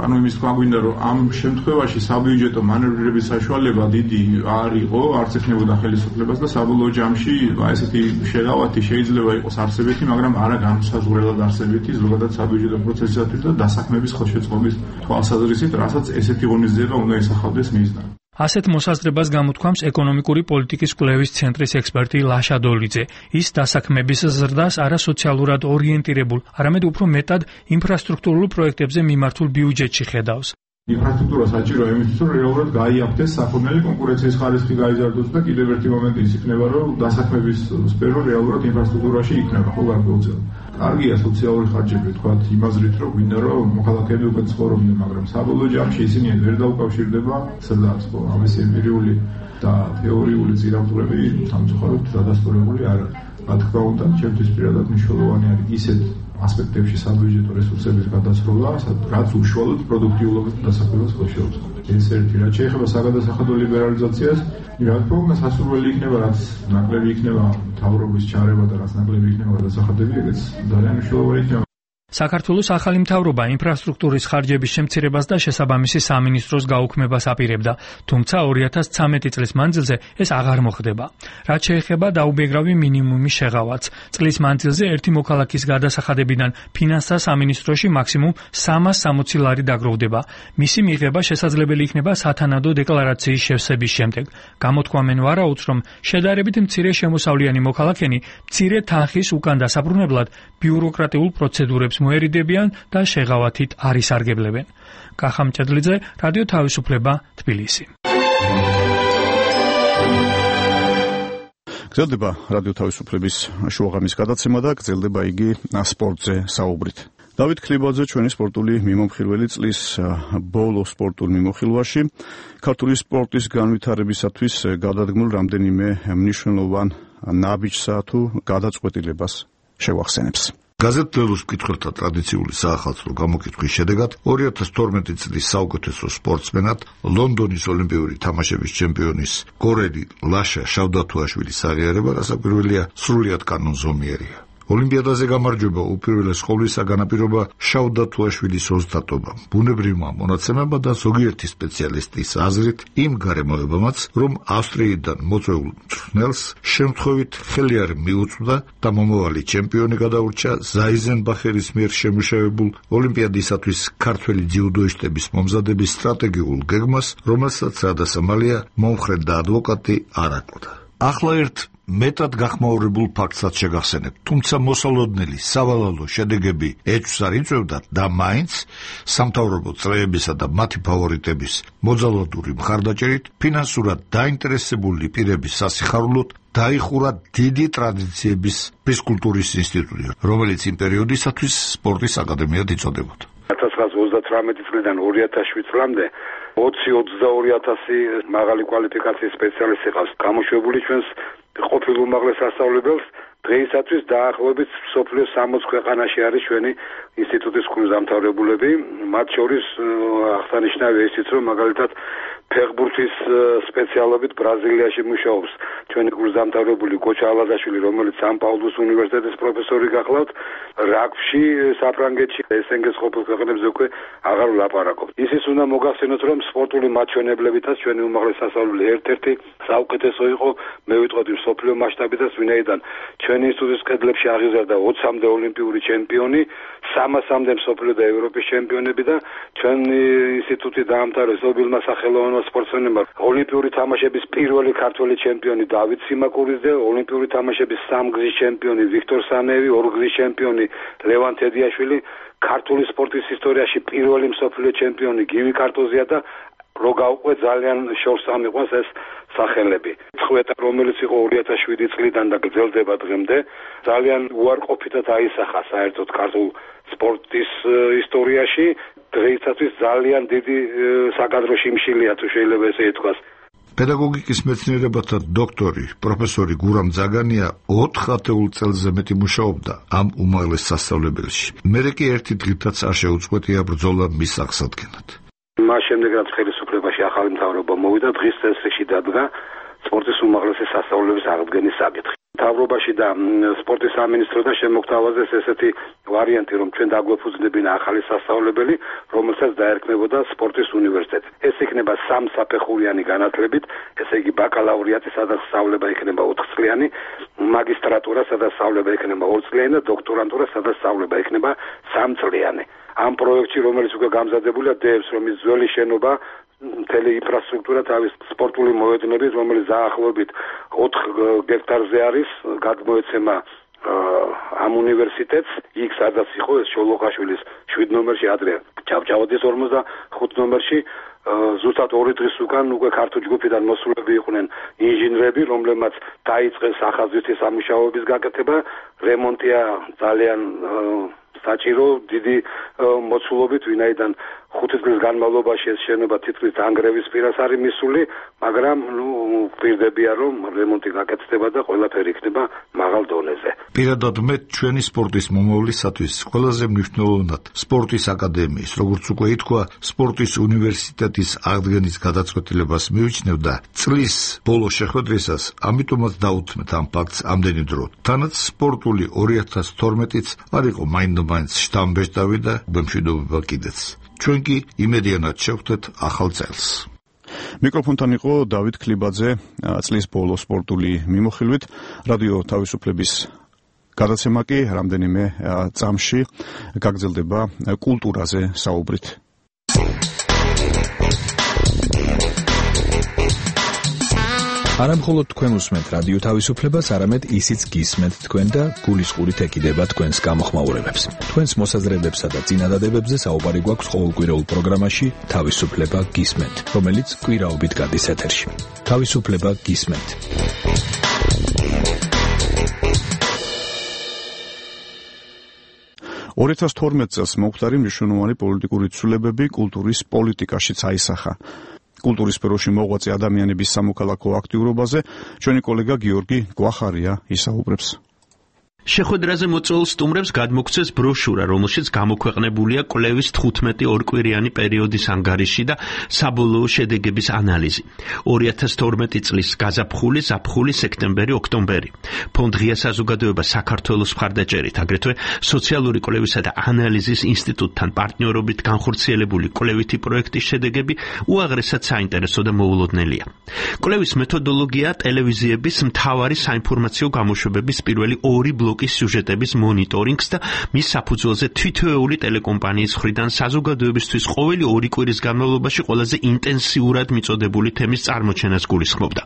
ანუ იმის თქვა გვინდა, რომ ამ შემთხვევაში საბიუჯეტო მანევრირების საშუალება დიდი არ იყო, არც ექნებოდა ხელისუფლებას და საბოლოო ჯამში ესეთი შეღავათი შეიძლება იყოს არსებითი, მაგრამ არა განსაზღვრელად არსებითი, ზოგადად საბიუჯეტო პროცესისათვის და დასაქმების ხელშეწყობის თვალსაზრისით, რასაც ესეთი ღონისძიება უნდა ისახავდეს მიზნად. ასეთ მოსაზრებას გამოთქვამს ეკონომიკური პოლიტიკის კვლევის ცენტრის ექსპერტი ლაშა დოლიძე. ის დასაქმების ზრდას არა სოციალურად ორიენტირებულ, არამედ უფრო მეტად ინფრასტრუქტურულ პროექტებზე მიმართულ ბიუჯეტში ხედავს. ინფრასტრუქტურა საჭიროა იმისთვის, რომ რეალურად გაიაფთეს საქონელი კონკურენციის ხარისხი გაიზარდოს და კიდევ ერთი მომენტი ის იქნება, რომ დასაქმების სფერო რეალურად ინფრასტრუქტურაში იქნება, ხო გარკვეულწილად. კარგია სოციალური ხარჯები, თქვათ, იმაზრით, რომ გვინდა, რომ მოქალაქეები უკვე ცხოვრობდნენ, მაგრამ საბოლოო ჯამში ისინი ვერ დაუკავშირდება ზრდას, ხო, ამის ემპირიული და თეორიული ძირავტურები სამწუხაროდ დადასტურებული არ არის. რა თქმა უნდა, ჩემთვის პირადად მნიშვნელოვანი არის ისეთ ასპექტებში საბიუჯეტო რესურსების გადასროლა, რაც უშუალოდ პროდუქტიულობას და დასაქმებას ხელშეუწყობს. ეს ერთი, რაც შეეხება საგადასახადო ლიბერალიზაციას, რა თქმა უნდა, სასურველი იქნება, რაც ნაკლები იქნება მთავრობის ჩარევა და რაც ნაკლები იქნება გადასახადები, ეგეც ძალიან მნიშვნელოვანი იქნება. საქართველოს ახალი მთავრობა ინფრასტრუქტურის ხარჯების შემცირებას და შესაბამისი სამინისტროს გაუქმებას აპირებდა, თუმცა 2013 წლის მანძილზე ეს აღარ მოხდება. რაც შეეხება დაუბეგრავი მინიმუმის შეღავათს, წლის მანძილზე ერთი მოქალაქის გადასახადებიდან ფინანსთა სამინისტროში მაქსიმუმ 360 ლარი დაგროვდება. მისი მიღება შესაძლებელი იქნება სათანადო დეკლარაციის შევსების შემდეგ. გამოთქვამენ ვარაუდს, რომ შედარებით მცირე შემოსავლიანი მოქალაქენი მცირე თანხის უკან დასაბრუნებლად ბიუროკრატიულ პროცედურებს მოერიდებიან და შეღავათით არ ისარგებლებენ. კახამ ჭედლიძე, რადიო თავისუფლება, თბილისი. გრძელდება რადიო თავისუფლების შუაღამის გადაცემა და გრძელდება იგი სპორტზე საუბრით. დავით ქლიბაძე ჩვენი სპორტული მიმოხილველი წლის ბოლო სპორტულ მიმოხილვაში ქართული სპორტის განვითარებისათვის გადადგმულ რამდენიმე მნიშვნელოვან ნაბიჯსა თუ გადაწყვეტილებას შევახსენებს. გაზეთ-ლელუს მკითხველთა ტრადიციული საახალწლო გამოკითხვის შედეგად 2012 წლის საუკეთესო სპორტსმენად ლონდონის ოლიმპიური თამაშების ჩემპიონის კორელი ლაშა შავდათუაშვილის აღიარება გასაკვირველია სრულიად კანონზომიერია. ოლიმპიადაზე გამარჯვება უპირველეს ყოვლისა განაპირობა შავდათუაშვილის ოზდატობა, ბუნებრივმა მონაცემებმა და ზოგიერთი სპეციალისტის აზრით იმ გარემოებამაც, რომ ავსტრიიდან მოწვეულ მწვრთნელს შემთხვევით ხელი არ მიუწვდა და მომავალი ჩემპიონი გადაურჩა ზაიზენბახერის მიერ შემუშავებულ ოლიმპიადისათვის ქართველი ძიუდოისტების მომზადების სტრატეგიულ გეგმას, რომელსაც რადასამალია მომხრე და ადვოკატი არ აკლდა. ახლა ერთ მეტად გახმაურებულ ფაქტსაც შეგახსენებთ, თუმცა მოსალოდნელი სავალალო შედეგები ეჭვს არ იწვევდათ და მაინც სამთავრობო წრეებისა და მათი ფავორიტების მოძალადური მხარდაჭერით ფინანსურად დაინტერესებული პირების სასიხარულოდ დაიხურა დიდი ტრადიციების ფიზკულტურის ინსტიტუტი, რომელიც იმ პერიოდისათვის სპორტის აკადემიად იწოდებოდა. 1938 წლიდან 2007 წლამდე 20-22,000 მაღალი კვალიფიკაციის სპეციალისტი ყავს გამოშვებული ჩვენს ყოფილ უმაღლეს სასწავლებელს. დღეისათვის დაახლოებით მსოფლიოს 60 ქვეყანაში არის ჩვენი ინსტიტუტის კურსდამთავრებულები, მათ შორის აღსანიშნავია ისიც, რომ მაგალითად ფეხბურთის სპეციალობით ბრაზილიაში მუშაობს ჩვენი კურსდამთავრებული გოჩა ალაზაშვილი, რომელიც სან-პაულუს უნივერსიტეტის პროფესორი გახლავთ. რაგბში საფრანგეთში SNG-ს ყოფილ ქვეყნებზე უკვე აღარ ვლაპარაკობთ. ისიც უნდა მოგახსენოთ, რომ სპორტული მაჩვენებლებითაც ჩვენი უმაღლესი სასწავლებელი ერთ-ერთი საუკეთესო იყო, მე ვიტყოდი მსოფლიო მასშტაბითაც, ვინაიდან ჩვენი ინსტიტუტის კედლებში აღიზარდა 20-მდე ოლიმპიური ჩემპიონი, 300-მდე მსოფლიო და ევროპის ჩემპიონები და ჩვენი ინსტიტუტი დაამთავრეს ობილმა სახელოვანმა სპორტსმენებმა ოლიმპიური თამაშების პირველი ქართველი ჩემპიონი დავით სიმაკურის და ოლიმპიური თამაშების სამგზის ჩემპიონი ვიქტორ სანეევი, ორგზის ჩემპიონი ლევან თედიაშვილი, ქართული სპორტის ისტორიაში პირველი მსოფლიო ჩემპიონი გივი კარტოზია და რო გავყვე ძალიან შორს ამიყვანს ეს სახელები. წვეტა, რომელიც იყო 2007 წლიდან და გრძელდება დღემდე, ძალიან უარყოფითად აისახა საერთოდ ქართულ სპორტის ისტორიაში. დღეისათვის ძალიან დიდი საკადრო შიმშილია, თუ შეიძლება ესე ითქვას. პედაგოგიკის მეცნიერებათა დოქტორი, პროფესორი გურამ ძაგანია 4 ათეულ წელზე მეტი მუშაობდა ამ უმაღლეს სასწავლებელში. მერე კი ერთი დღითაც არ შეუწყვეტია ბრძოლა მის აღსადგენად. მას შემდეგ რაც ხელისუფლებაში ახალი მთავრობა მოვიდა, დღის წესრიგში დადგა სპორტის უმაღლესი სასწავლებლების აღდგენის საკითხი. მთავრობაში და სპორტის სამინისტროდან შემოგთავაზეს ესეთი ვარიანტი, რომ ჩვენ დაგვეფუძნებინა ახალი სასწავლებელი, რომელსაც დაერქმებოდა სპორტის უნივერსიტეტი. ეს იქნება 3 საფეხურიანი განათლებით, ესე იგი ბაკალავრიატი, სადაც სწავლება იქნება 4 წლიანი, მაგისტრატურა, სადაც სწავლება იქნება 2 წლიანი და დოქტორანტურა, სადაც სწავლება იქნება 3 წლიანი. ამ პროექტში, რომელიც უკვე გამზადებულია, დევს, რომ ის ძველი შენობა მთელი ინფრასტრუქტურა თავის სპორტული მოედნებით, რომელიც დაახლოებით 4 გექტარზე არის, გადმოეცემა ამ უნივერსიტეტს, იქ სადაც იყო ეს შოლოხაშვილის 7 ნომერში, ადრე ჭავჭავაძის 45 ნომერში, ზუსტად 2 დღის უკან უკვე ქართულ ჯგუფიდან მოსულები იყვნენ ინჟინრები, რომლებმაც დაიწყეს ახალგაზრდების სამუშაოების გაკეთება, რემონტია ძალიან საჭირო დიდი მოცულობით, ვინაიდან 5 წლის განმავლობაში ეს შენობა თითქმის დანგრევის პირას არის მისული, მაგრამ ვპირდებია, რომ რემონტი გაკეთდება და ყველაფერი იქნება მაღალ დონეზე. პირადად მე ჩვენი სპორტის მომავლისათვის ყველაზე მნიშვნელოვნად სპორტის აკადემიის, როგორც უკვე ითქვა, სპორტის უნივერსიტეტის აღდგენის გადაწყვეტილებას მივიჩნევ და წლის ბოლო შეხვედრისას ამიტომაც დაუთმეთ ამ ფაქტს ამდენი დრო. თანაც სპორტული 2012-იც არ იყო მაინდ-მაინც შთამბეჭდავი და მშვიდობა კიდეც. ჩვენ კი იმედიანად შევხვდეთ ახალ წელს. მიკროფონთან იყო დავით ქლიბაძე, წლის ბოლო სპორტული მიმოხილვით. რადიო თავისუფლების გადაცემა კი რამდენიმე წამში გაგრძელდება კულტურაზე საუბრით. არა მხოლოდ თქვენ უსმენთ რადიო თავისუფლებას, არამედ ისიც გისმენთ თქვენ და გულისყურით ეკიდება თქვენს გამოხმაურებებს. თქვენს მოსაზრებებსა და წინადადებებზე საუბარი გვაქვს ყოველკვირეულ პროგრამაში თავისუფლება გისმენთ, რომელიც კვირაობით გადის ეთერში. თავისუფლება გისმენთ. – 2012 წელს მომხდარი მნიშვნელოვანი პოლიტიკური ცვლილებები კულტურის პოლიტიკაშიც აისახა. კულტურის სფეროში მოღვაწე ადამიანების სამოქალაქო აქტიურობაზე ჩვენი კოლეგა გიორგი გვახარია ისაუბრებს. შეხვედრაზე მოწვეულ სტუმრებს გადმოგცეს ბროშურა, რომელშიც გამოქვეყნებულია კვლევის 15 ორკვირიანი პერიოდის ანგარიში და საბოლოო შედეგების ანალიზი. 2012 წლის გაზაფხული, ზაფხული, სექტემბერი, ოქტომბერი. ფონდ ღია საზოგადოება საქართველოს მხარდაჭერით, აგრეთვე სოციალური კვლევისა და ანალიზის ინსტიტუტთან პარტნიორობით განხორციელებული კვლევითი პროექტის შედეგები უაღრესად საინტერესო და მოულოდნელია. კვლევის მეთოდოლოგია ტელევიზიების მთავარი საინფორმაციო გამოშვებების პირველი 2 ბლოკი ბლოკის სიუჟეტების მონიტორინგს და მის საფუძველზე თითოეული ტელეკომპანიის მხრიდან საზოგადოებისთვის ყოველი 2 კვირის განმავლობაში ყველაზე ინტენსიურად მიწოდებული თემის წარმოჩენას გულისხმობდა.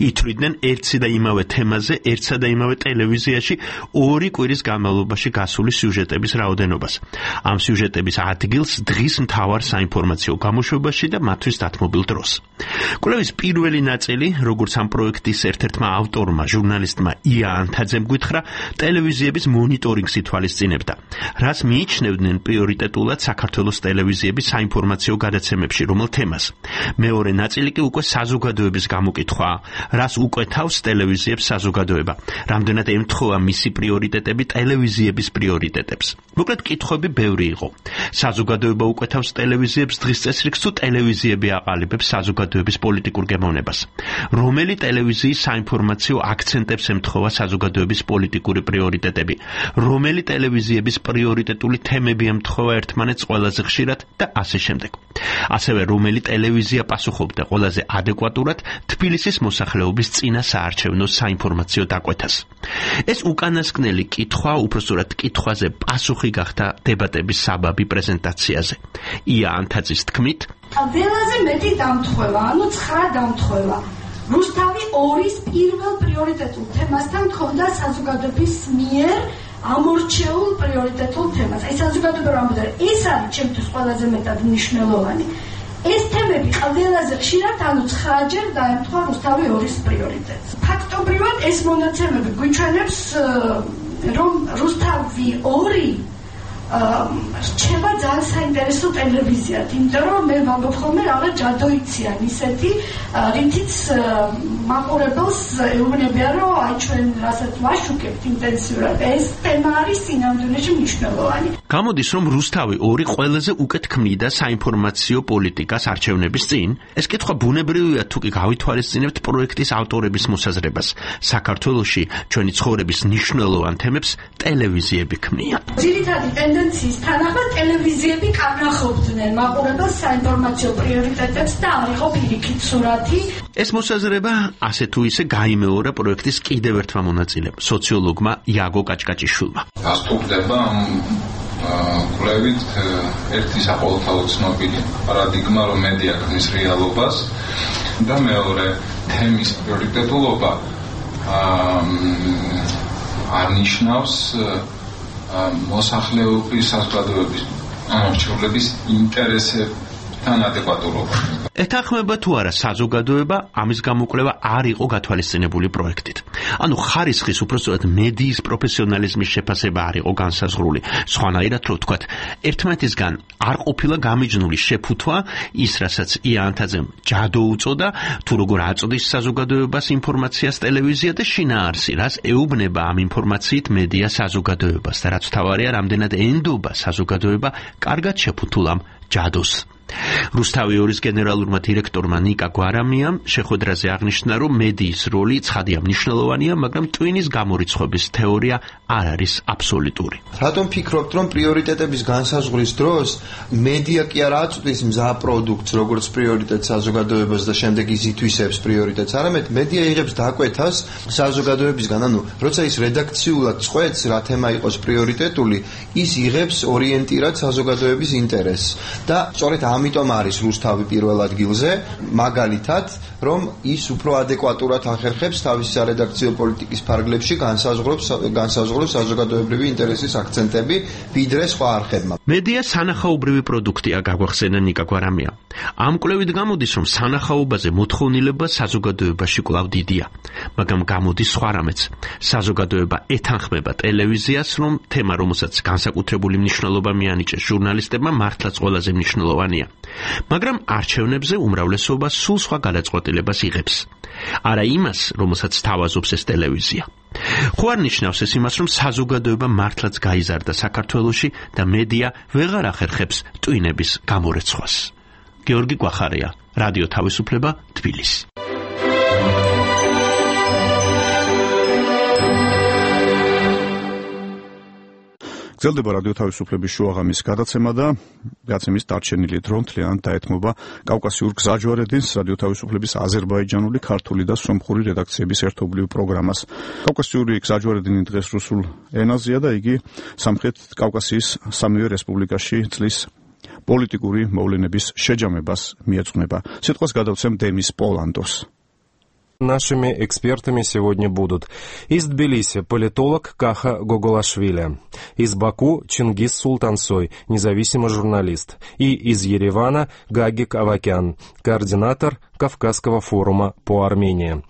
ითვლიდნენ ერთსა და იმავე თემაზე, ერთსა და იმავე ტელევიზიაში 2 კვირის განმავლობაში გასული სიუჟეტების რაოდენობას. ამ სიუჟეტების ადგილს დღის მთავარ საინფორმაციო გამოშვებაში და მათთვის დათმობილ დროს. კვლევის პირველი ნაწილი, როგორც ამ პროექტის ერთ-ერთმა ავტორმა, ჟურნალისტმა ია ანთაძემ გითხრა, ტელევიზიების მონიტორინგს ითვალისწინებდა, რას მიიჩნევდნენ პრიორიტეტულად საქართველოს ტელევიზიების საინფორმაციო გადაცემებში, რომელ თემას. მეორე ნაწილი კი უკვე საზოგადოების გამოკითხვა, რას უკვეთავს ტელევიზიებს საზოგადოება, რამდენად ემთხვევა მისი პრიორიტეტები ტელევიზიების პრიორიტეტებს. მოკლედ კითხვები ბევრი იყო. საზოგადოება უკვეთავს ტელევიზიებს დღის წესრიგს თუ ტელევიზიები აყალიბებს საზოგადოების პოლიტიკურ გემოვნებას. რომელი ტელევიზიის საინფორმაციო აქცენტებს ემთხვევა საზოგადოების პოლიტიკური პრიორიტეტები, რომელი ტელევიზიების პრიორიტეტული თემები ემთხვევა ერთმანეთს ყველაზე ხშირად და ასე შემდეგ. ასევე რომელი ტელევიზია პასუხობდა ყველაზე ადეკვატურად თბილისის მოსახლეობის წინა საარჩევნო საინფორმაციო დაკვეთას. ეს უკანასკნელი კითხვა, უпростоრად კითხვაზე პასუხი გახდა დებატების საბაბი პრეზენტაციაზე. ია ანთაძის თქმით, ყველაზე მეტი დამთხევა, ანუ 9 დამთხევა. რუსთავი 2-ის პირველ პრიორიტეტულ თემასთან თხოვდა საზოგადოების მიერ ამორჩეულ პრიორიტეტულ თემას. აი საზოგადოება რომ ამბობდა, ეს არის ჩემთვის ყველაზე მეტად მნიშვნელოვანი. ეს თემები ყველაზე ხშირად, ანუ 9-ჯერ დაემთხვა რუსთავი 2-ის პრიორიტეტს. ფაქტობრივად ეს მონაცემები გვიჩვენებს, რომ რუსთავი 2 რჩება ძალიან საინტერესო ტელევიზიად, იმიტომ რომ მე ვამბობ ხოლმე რაღაც ჯადოიციან ისეთი, რითიც მაყურებელს ეუბნებიან, რომ აი ჩვენ რასაც ვაშუქებთ ინტენსიურად, ეს თემა არის სინამდვილეში მნიშვნელოვანი. გამოდის, რომ რუსთავი 2 ყველაზე უკეთ ქმნიდა საინფორმაციო პოლიტიკას არჩევნების წინ. ეს კითხვა ბუნებრივია, თუ კი გავითვალისწინებთ პროექტის ავტორების მოსაზრებას. საქართველოში ჩვენი ცხოვრების მნიშვნელოვან თემებს ტელევიზიები ქმნიან. ძირითადი ტენდენციის თანახმად ტელევიზიები კანახობდნენ მაყურებელს საინფორმაციო პრიორიტეტებს და არ იყო პირიქით სურათი. ეს მოსაზრება ასე თუ ისე გაიმეორა პროექტის კიდევ ერთმა მონაწილემ, სოციოლოგმა იაგო კაჭკაჭიშვილმა. გასტურდება კვლევით ერთი საყოველთაო ცნობილი პარადიგმა, რომ მედია ქმნის რეალობას და მეორე თემის პრიორიტეტულობა არნიშნავს მოსახლეობის საზოგადოების ამორჩეულების ინტერესებთან ადეკვატურობა. ეთანხმება თუ არა საზოგადოება ამის გამოკვლევა არ იყო გათვალისწინებული პროექტით. ანუ ხარისხის უпростоრად მედიის პროფესიონალიზმის შეფასება არ იყო განსაზღვრული. სხვანაირად რო ვთქვათ, ერთმანეთისგან არ ყოფილა გამიჯნული შეფუთვა ის, რასაც ია ანთაძემ ჯადო უწოდა, თუ როგორ აწოდის საზოგადოებას ინფორმაციას ტელევიზია და შინაარსი, რას ეუბნება ამ ინფორმაციით მედია საზოგადოებას და რაც თავარია, რამდენად ენდობა საზოგადოება კარგად შეფუთულ ამ ჯადოს. რუსთავი 2-ის გენერალურმა დირექტორმა ნიკა გვარამიამ შეხვედრაზე აღნიშნა, რომ მედიის როლი ცხადია მნიშვნელოვანია, მაგრამ ტვინის გამორიცხვების თეორია არ არის აბსოლუტური. რატომ ფიქრობთ, რომ პრიორიტეტების განსაზღვრის დროს მედია კი არ აწვდის მზა პროდუქტს, როგორც პრიორიტეტს საზოგადოებას და შემდეგ ის ითვისებს პრიორიტეტს, არამედ მედია იღებს დაკვეთას საზოგადოებისგან, ანუ როცა ის რედაქციულად წყვეტს, რა თემა იყოს პრიორიტეტული, ის იღებს ორიენტირად საზოგადოების ინტერესს და სწორედ ამიტომ არის რუსთავი პირველ ადგილზე, მაგალითად, რომ ის უფრო ადეკვატურად ახერხებს თავის სარედაქციო პოლიტიკის ფარგლებში განსაზღვროს საზოგადოებრივი ინტერესის აქცენტები, ვიდრე სხვა არხებმა. მედია სანახაობრივი პროდუქტია, გაგვახსენა ნიკა გვარამია. ამ კვლევით გამოდის, რომ სანახაობაზე მოთხოვნილება საზოგადოებაში კვლავ დიდია, მაგრამ გამოდის სხვა რამეც. საზოგადოება ეთანხმება ტელევიზიას, რომ თემა, რომელსაც განსაკუთრებული მნიშვნელობა მიანიჭეს ჟურნალისტებმა, მართლაც ყველაზე მნიშვნელოვანია. მაგრამ არჩევნებზე უმრავლესობა სულ სხვა გადაწყვეტილებას იღებს. არა იმას, რომელსაც თავაზობს ეს ტელევიზია. ხო არ ნიშნავს ეს იმას, რომ საზოგადოება მართლაც გაიზარდა საქართველოში და მედია ვეღარ ახერხებს ტვინების გამორეცხვას. გიორგი კვახარია, რადიო თავისუფლება, თბილისი. გრძელდება რადიო თავისუფლების შუაღამის გადაცემა და გადაცემის დარჩენილი დრო მთლიანად დაეთმობა კავკასიურ გზაჯვარედინს რადიო თავისუფლების აზერბაიჯანული, ქართული და სომხური რედაქციების ერთობლივ პროგრამას. კავკასიური გზაჯვარედინი დღეს რუსულ ენაზეა და იგი სამხრეთ კავკასიის სამივე რესპუბლიკაში წლის პოლიტიკური მოვლენების შეჯამებას მიეძღვნება. Ситуация გადავცემ Демис Поландос. Нашими экспертами сегодня будут из Тбилиси политолог Каха Гоголашвили, из Баку Чингис Султансой, независимый журналист, и из Еревана Гагик Авакян, координатор Кавказского форума по Армении.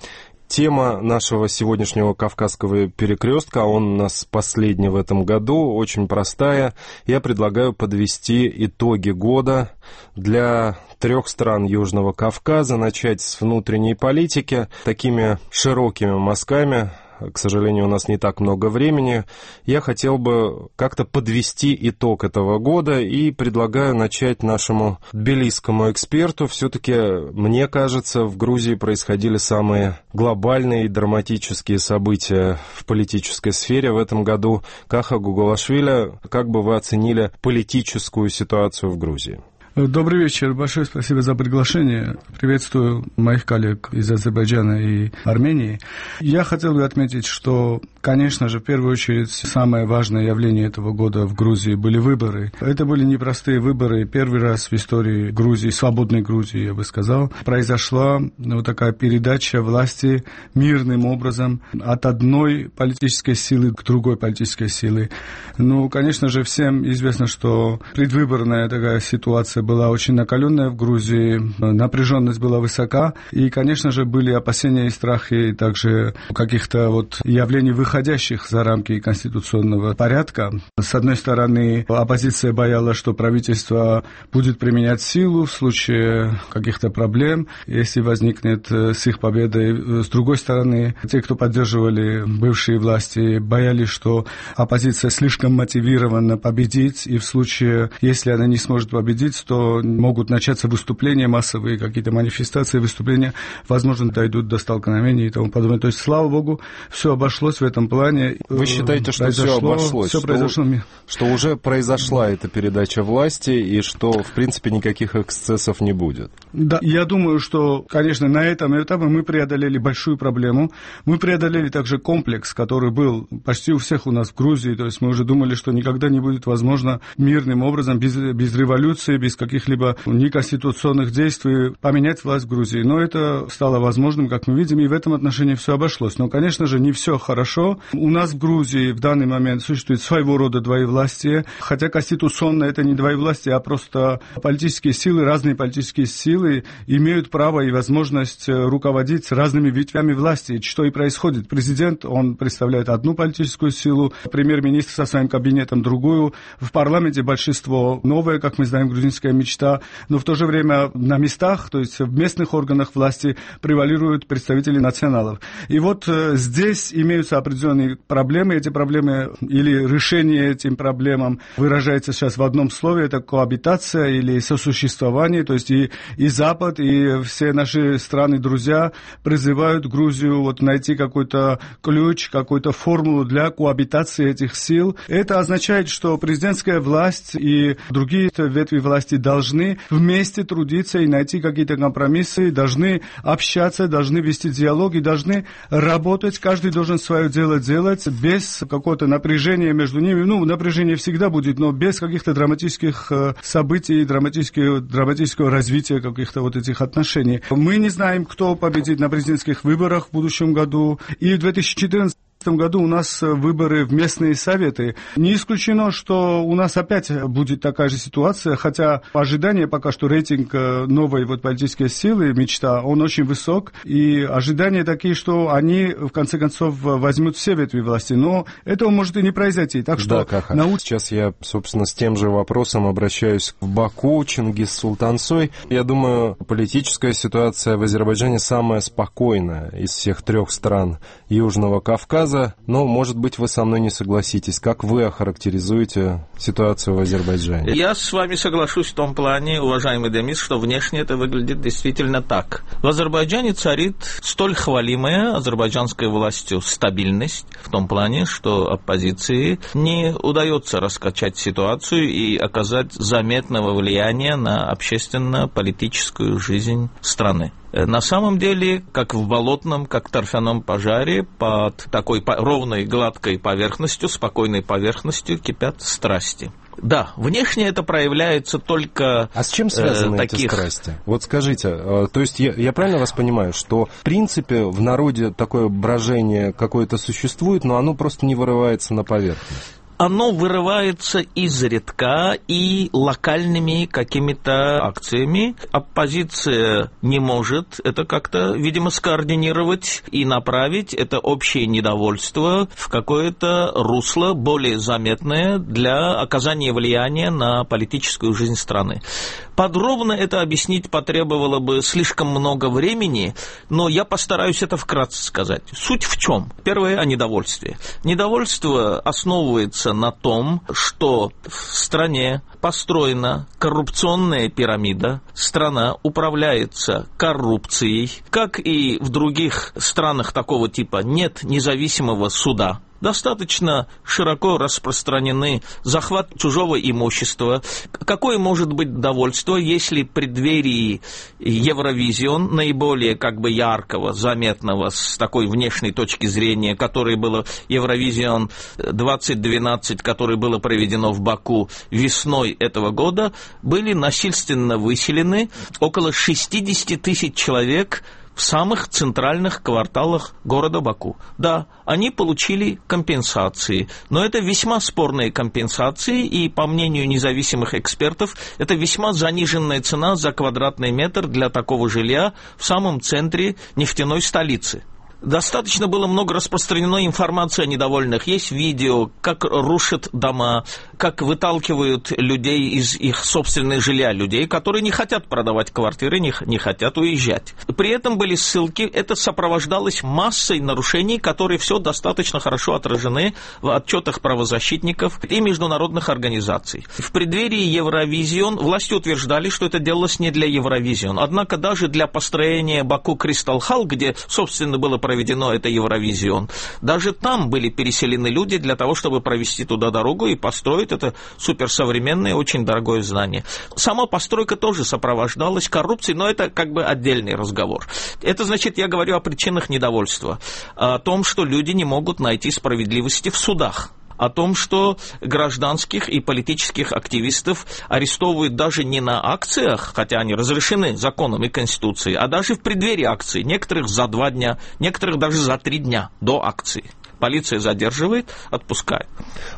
Тема нашего сегодняшнего Кавказского перекрестка, он у нас последний в этом году, очень простая. Я предлагаю подвести итоги года для 3 стран Южного Кавказа, начать с внутренней политики, такими широкими мазками. К сожалению, у нас не так много времени. Я хотел бы как-то подвести итог этого года и предлагаю начать нашему тбилисскому эксперту. Все-таки, мне кажется, в Грузии происходили самые глобальные и драматические события в политической сфере в этом году. Каха Гоголашвили, как бы вы оценили политическую ситуацию в Грузии? Добрый вечер. Большое спасибо за приглашение. Приветствую моих коллег из Азербайджана и Армении. Я хотел бы отметить, что, конечно же, в первую очередь, самое важное явление этого года в Грузии были выборы. Это были непростые выборы. Первый раз в истории Грузии, свободной Грузии, я бы сказал, произошла вот такая передача власти мирным образом от одной политической силы к другой политической силе. Ну, конечно же, всем известно, что предвыборная такая ситуация была очень накаленная в Грузии, напряженность была высока, и, конечно же, были опасения и страхи также каких-то вот явлений, выходящих за рамки конституционного порядка. С одной стороны, оппозиция боялась, что правительство будет применять силу в случае каких-то проблем, если возникнет с их победой. С другой стороны, те, кто поддерживали бывшие власти, боялись, что оппозиция слишком мотивирована победить, и в случае, если она не сможет победить, то могут начаться выступления массовые, какие-то манифестации, выступления, возможно, дойдут до столкновений и тому подобное. То есть, слава богу, все обошлось в этом плане. Вы считаете, что все обошлось? Все произошло. Что уже произошла эта передача власти и что, в принципе, никаких эксцессов не будет? Да, я думаю, что, конечно, на этом этапе мы преодолели большую проблему. Мы преодолели также комплекс, который был почти у всех у нас в Грузии. То есть мы уже думали, что никогда не будет возможно мирным образом, без революции, без каких-либо неконституционных действий поменять власть в Грузии. Но это стало возможным, как мы видим, и в этом отношении все обошлось. Но, конечно же, не все хорошо. У нас в Грузии в данный момент существует своего рода двоевластие, хотя конституционно это не двоевластие, а просто политические силы, разные политические силы имеют право и возможность руководить разными ветвями власти, что и происходит. Президент, он представляет одну политическую силу, премьер-министр со своим кабинетом другую, в парламенте большинство новое, как мы знаем, грузинское мечта, но в то же время на местах, то есть в местных органах власти превалируют представители националов. И вот здесь имеются определенные проблемы. Эти проблемы или решение этим проблемам выражается сейчас в одном слове, это коабитация или сосуществование, то есть и Запад, и все наши страны-друзья призывают Грузию вот найти какой-то ключ, какую-то формулу для коабитации этих сил. Это означает, что президентская власть и другие ветви власти должны вместе трудиться и найти какие-то компромиссы, должны общаться, должны вести диалог и должны работать. Каждый должен свое дело делать без какого-то напряжения между ними. Ну, напряжение всегда будет, но без каких-то драматических событий, драматического развития каких-то вот этих отношений. Мы не знаем, кто победит на президентских выборах в будущем году. И в 2014 году у нас выборы в местные советы. Не исключено, что у нас опять будет такая же ситуация, хотя ожидание пока что рейтинг новой вот политической силы, мечта, он очень высок, и ожидания такие, что они в конце концов возьмут все ветви власти, но этого может и не произойти. Так что Сейчас я, собственно, с тем же вопросом обращаюсь к Баку, Чингис Султансой. Я думаю, политическая ситуация в Азербайджане самая спокойная из всех 3 стран Южного Кавказа. фраза, но, может быть, вы со мной не согласитесь. Как вы охарактеризуете ситуацию в Азербайджане? Я с вами соглашусь в том плане, уважаемый Демис, что внешне это выглядит действительно так. В Азербайджане царит столь хвалимая азербайджанской властью стабильность в том плане, что оппозиции не удается раскачать ситуацию и оказать заметного влияния на общественно-политическую жизнь страны. На самом деле, как в болотном, как в торфяном пожаре, под такой ровной, гладкой поверхностью, спокойной поверхностью кипят страсти. Да, внешне это проявляется только... А с чем связаны эти страсти? Вот скажите, то есть я правильно вас понимаю, что в принципе в народе такое брожение какое-то существует, но оно просто не вырывается на поверхность? Оно вырывается изредка и локальными какими-то акциями. Оппозиция не может это как-то, видимо, скоординировать и направить это общее недовольство в какое-то русло более заметное для оказания влияния на политическую жизнь страны. Подробно это объяснить потребовало бы слишком много времени, но я постараюсь это вкратце сказать. Суть в чем? Первое, о недовольстве. Недовольство основывается на том, что в стране построена коррупционная пирамида, страна управляется коррупцией, как и в других странах такого типа нет независимого суда. Достаточно широко распространены захват чужого имущества. Какое может быть довольство, если в преддверии Евровизион, наиболее яркого, заметного с такой внешней точки зрения, который было Евровизион 2012, которое было проведено в Баку весной этого года, были насильственно выселены около 60 тысяч человек в самых центральных кварталах города Баку. Да, они получили компенсации, но это весьма спорные компенсации, и, по мнению независимых экспертов, это весьма заниженная цена за квадратный метр для такого жилья в самом центре нефтяной столицы. Достаточно было много распространено информации о недовольных. Есть видео, как рушат дома, как выталкивают людей из их собственных жилья, людей, которые не хотят продавать квартиры, не хотят уезжать. При этом были ссылки, это сопровождалось массой нарушений, которые все достаточно хорошо отражены в отчетах правозащитников и международных организаций. В преддверии Евровизион власти утверждали, что это делалось не для Евровизион. Однако даже для построения Баку Кристал Халл, где, собственно, было проведено это Евровизион, даже там были переселены люди для того, чтобы провести туда дорогу и построить это суперсовременное, очень дорогое здание. Сама постройка тоже сопровождалась коррупцией, но это отдельный разговор. Это значит, я говорю о причинах недовольства, о том, что люди не могут найти справедливости в судах, о том, что гражданских и политических активистов арестовывают даже не на акциях, хотя они разрешены законом и конституцией, а даже в преддверии акции. Некоторых за 2 дня, некоторых даже за 3 дня до акции. Полиция задерживает, отпускает.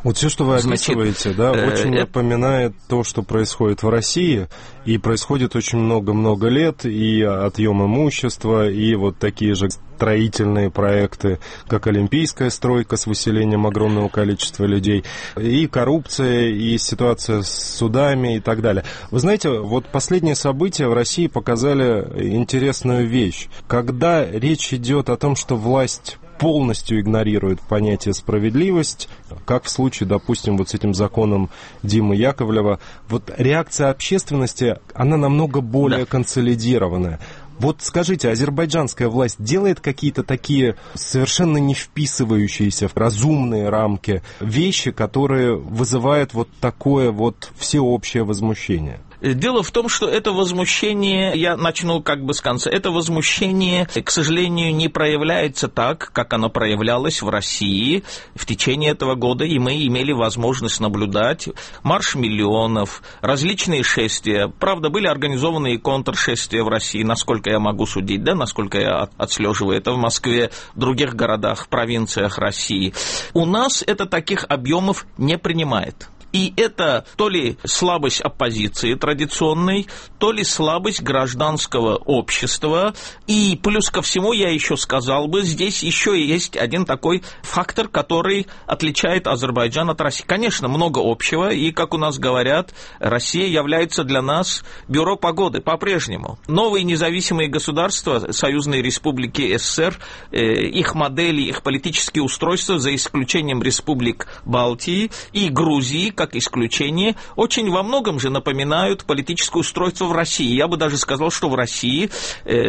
Вот все, что вы описываете, очень напоминает то, что происходит в России, и происходит очень много-много лет, и отъем имущества, и вот такие же строительные проекты, как олимпийская стройка с выселением огромного количества людей, и коррупция, и ситуация с судами и так далее. Вы знаете, вот последние события в России показали интересную вещь. Когда речь идет о том, что власть полностью игнорирует понятие справедливость, как в случае, допустим, вот с этим законом Димы Яковлева, вот реакция общественности, она намного более консолидированная. Вот скажите, азербайджанская власть делает какие-то такие совершенно не вписывающиеся в разумные рамки вещи, которые вызывают вот такое вот всеобщее возмущение? Дело в том, что это возмущение, я начну с конца, это возмущение, к сожалению, не проявляется так, как оно проявлялось в России в течение этого года, и мы имели возможность наблюдать марш миллионов, различные шествия. Правда, были организованы и контршествия в России, насколько я могу судить, насколько я отслеживаю это в Москве, в других городах, провинциях России. У нас это таких объемов не принимает. И это то ли слабость оппозиции традиционной, то ли слабость гражданского общества. И плюс ко всему, я еще сказал бы, здесь еще есть один такой фактор, который отличает Азербайджан от России. Конечно, много общего, и, как у нас говорят, Россия является для нас бюро погоды по-прежнему. Новые независимые государства, союзные республики СССР, их модели, их политические устройства, за исключением республик Балтии и Грузии, как исключение, очень во многом же напоминают политическое устройство в России. Я бы даже сказал, что в России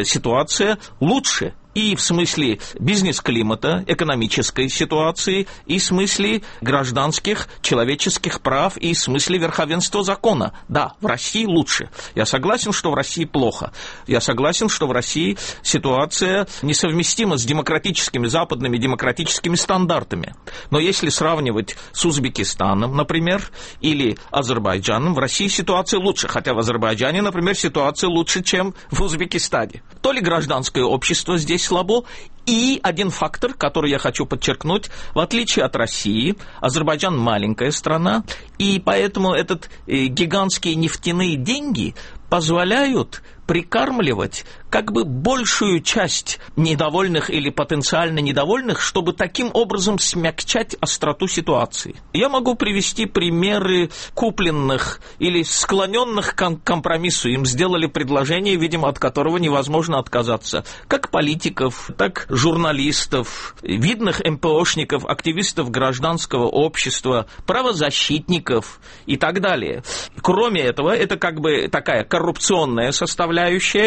ситуация лучше. И в смысле бизнес-климата, экономической ситуации, и в смысле гражданских, человеческих прав, и в смысле верховенства закона. Да, в России лучше. Я согласен, что в России плохо. Я согласен, что в России ситуация несовместима с демократическими, западными демократическими стандартами. Но если сравнивать с Узбекистаном, например, или Азербайджаном, в России ситуация лучше. Хотя в Азербайджане, например, ситуация лучше, чем в Узбекистане. То ли гражданское общество здесь слабо. И один фактор, который я хочу подчеркнуть, в отличие от России, Азербайджан маленькая страна, и поэтому гигантские нефтяные деньги позволяют прикармливать как бы большую часть недовольных или потенциально недовольных, чтобы таким образом смягчать остроту ситуации. Я могу привести примеры купленных или склоненных к компромиссу. Им сделали предложение, видимо, от которого невозможно отказаться. Как политиков, так журналистов, видных МПОшников, активистов гражданского общества, правозащитников и так далее. Кроме этого, это как бы такая коррупционная составляющая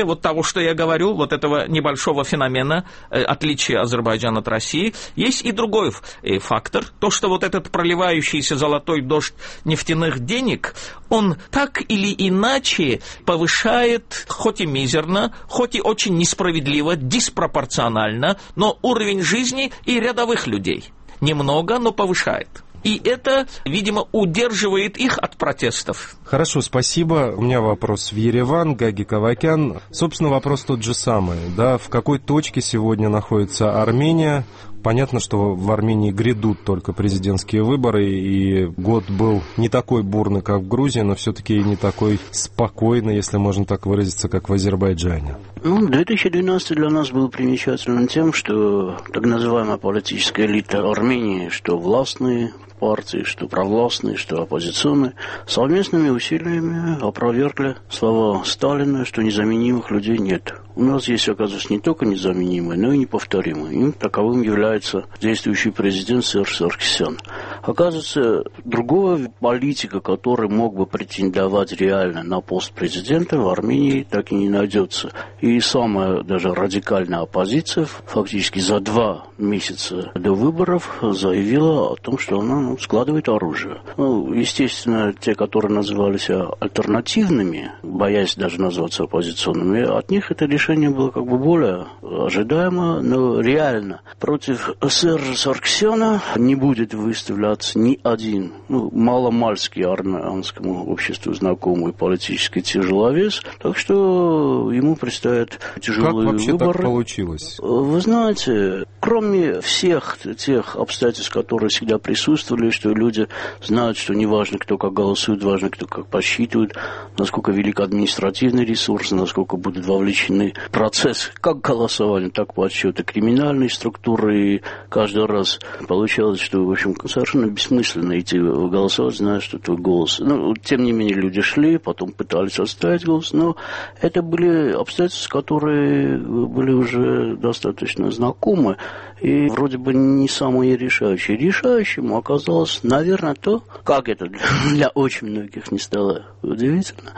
вот того, что я говорю, вот этого небольшого феномена отличия Азербайджана от России. Есть и другой фактор, то, что вот этот проливающийся золотой дождь нефтяных денег, он так или иначе повышает, хоть и мизерно, хоть и очень несправедливо, диспропорционально, но уровень жизни и рядовых людей. Немного, но повышает. И это, видимо, удерживает их от протестов. Хорошо, спасибо. У меня вопрос в Ереван, Гаги Кавакян. Собственно, вопрос тот же самый. Да, в какой точке сегодня находится Армения? Понятно, что в Армении грядут только президентские выборы, и год был не такой бурный, как в Грузии, но все-таки и не такой спокойный, если можно так выразиться, как в Азербайджане. 2012 для нас был примечательным тем, что так называемая политическая элита Армении, что властные партии, что провластные, что оппозиционные, совместными усилиями опровергли слова Сталина, что незаменимых людей нет. У нас есть, оказывается, не только незаменимые, но и неповторимые. Им таковым является действующий президент Серж Саркисян. Оказывается, другого политика, который мог бы претендовать реально на пост президента, в Армении так и не найдется. И самая даже радикальная оппозиция фактически за 2 месяца до выборов заявила о том, что она складывает оружие. Естественно, те, которые назывались альтернативными, боясь даже называться оппозиционными, от них это решение было как бы более ожидаемо, но реально против Сержа Саркисяна не будет выставляться ни один маломальский армянскому обществу знакомый политический тяжеловес, так что ему предстоят тяжелые выборы. Как вообще так получилось? Вы знаете, кроме всех тех обстоятельств, которые всегда присутствовали, что люди знают, что не важно, кто как голосует, важно, кто как подсчитывает, насколько велик административный ресурс, насколько будут вовлечены в процесс как голосования, так подсчета криминальной структуры. И каждый раз получалось, что, в общем, совершенно бессмысленно идти голосовать, зная, что твой голос. Тем не менее, люди шли, потом пытались оставить голос, но это были обстоятельства, которые были уже достаточно знакомы. И вроде бы не самые решающие. Решающим оказалось, наверное, то, как это для очень многих не стало удивительно,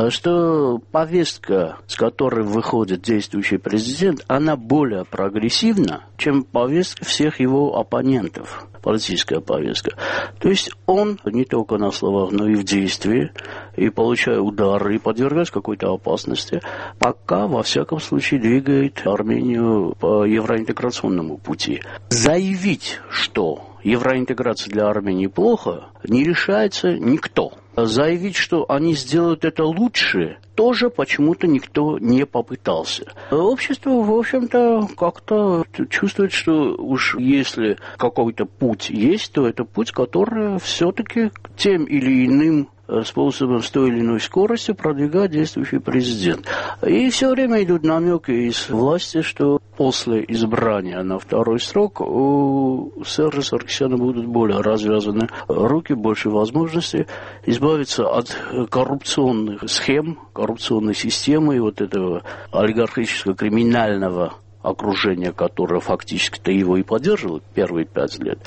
что повестка, с которой выходит действующий президент, она более прогрессивна, чем повестка всех его оппонентов, политическая повестка. То есть он не только на словах, но и в действии, и получая удары, и подвергаясь какой-то опасности, пока, во всяком случае, двигает Армению по евроинтеграционному пути. Заявить, что евроинтеграция для Армении плохо, не решается никто. Заявить, что они сделают это лучше, тоже почему-то никто не попытался. Общество, в общем-то, как-то чувствует, что уж если какой-то путь есть, то это путь, который все-таки тем или иным способом с той или иной скоростью продвигает действующий президент. И все время идут намеки из власти, что после избрания на второй срок у Сержа Саркисяна будут более развязаны руки, больше возможностей избавиться от коррупционных схем, коррупционной системы и вот этого олигархического криминального окружение, которое фактически-то его и поддерживало первые 5 лет.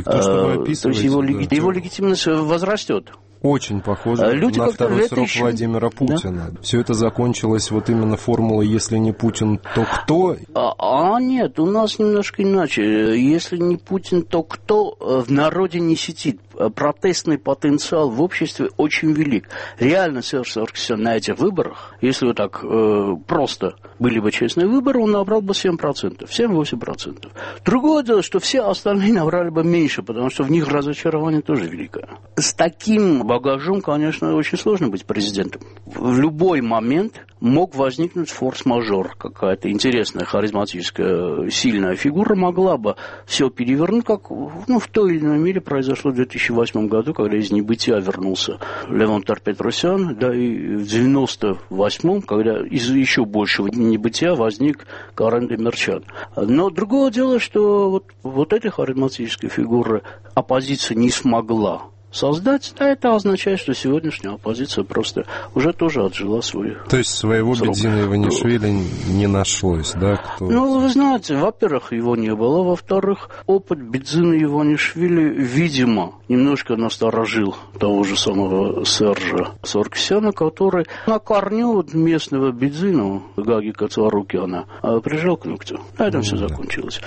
То есть его легитимность возрастет. Очень похоже на второй срок Владимира Путина. Да? Все это закончилось вот именно формулой «если не Путин, то кто?». Нет, у нас немножко иначе. Если не Путин, то кто? В народе не сидит. Протестный потенциал в обществе очень велик. Реально Серж Саркисян на этих выборах, если вот так просто были бы честные выборы, он набрал бы 7%, 7-8%. Другое дело, что все остальные набрали бы меньше, потому что в них разочарование тоже великое. С таким багажом, конечно, очень сложно быть президентом. В любой момент мог возникнуть форс-мажор. Какая-то интересная, харизматическая, сильная фигура могла бы все перевернуть, как в той или иной мере произошло в 2008 году, когда из небытия вернулся Левон Петросян, да и в 98-м, когда из еще большего небытия возник Карен Демирчан. Но другое дело, что вот этой харизматической фигуры оппозиция не смогла создать, да, это означает, что сегодняшняя оппозиция просто уже тоже отжила свой То есть своего Бедзина Иванишвили не нашлось, да? Кто... вы знаете, во-первых, его не было, во-вторых, опыт Бедзина Иванишвили, видимо, немножко насторожил того же самого Сержа Саркисяна, который на корню местного Бедзина, Гаги Кацарукяна, прижал к ногтю. На этом все закончилось.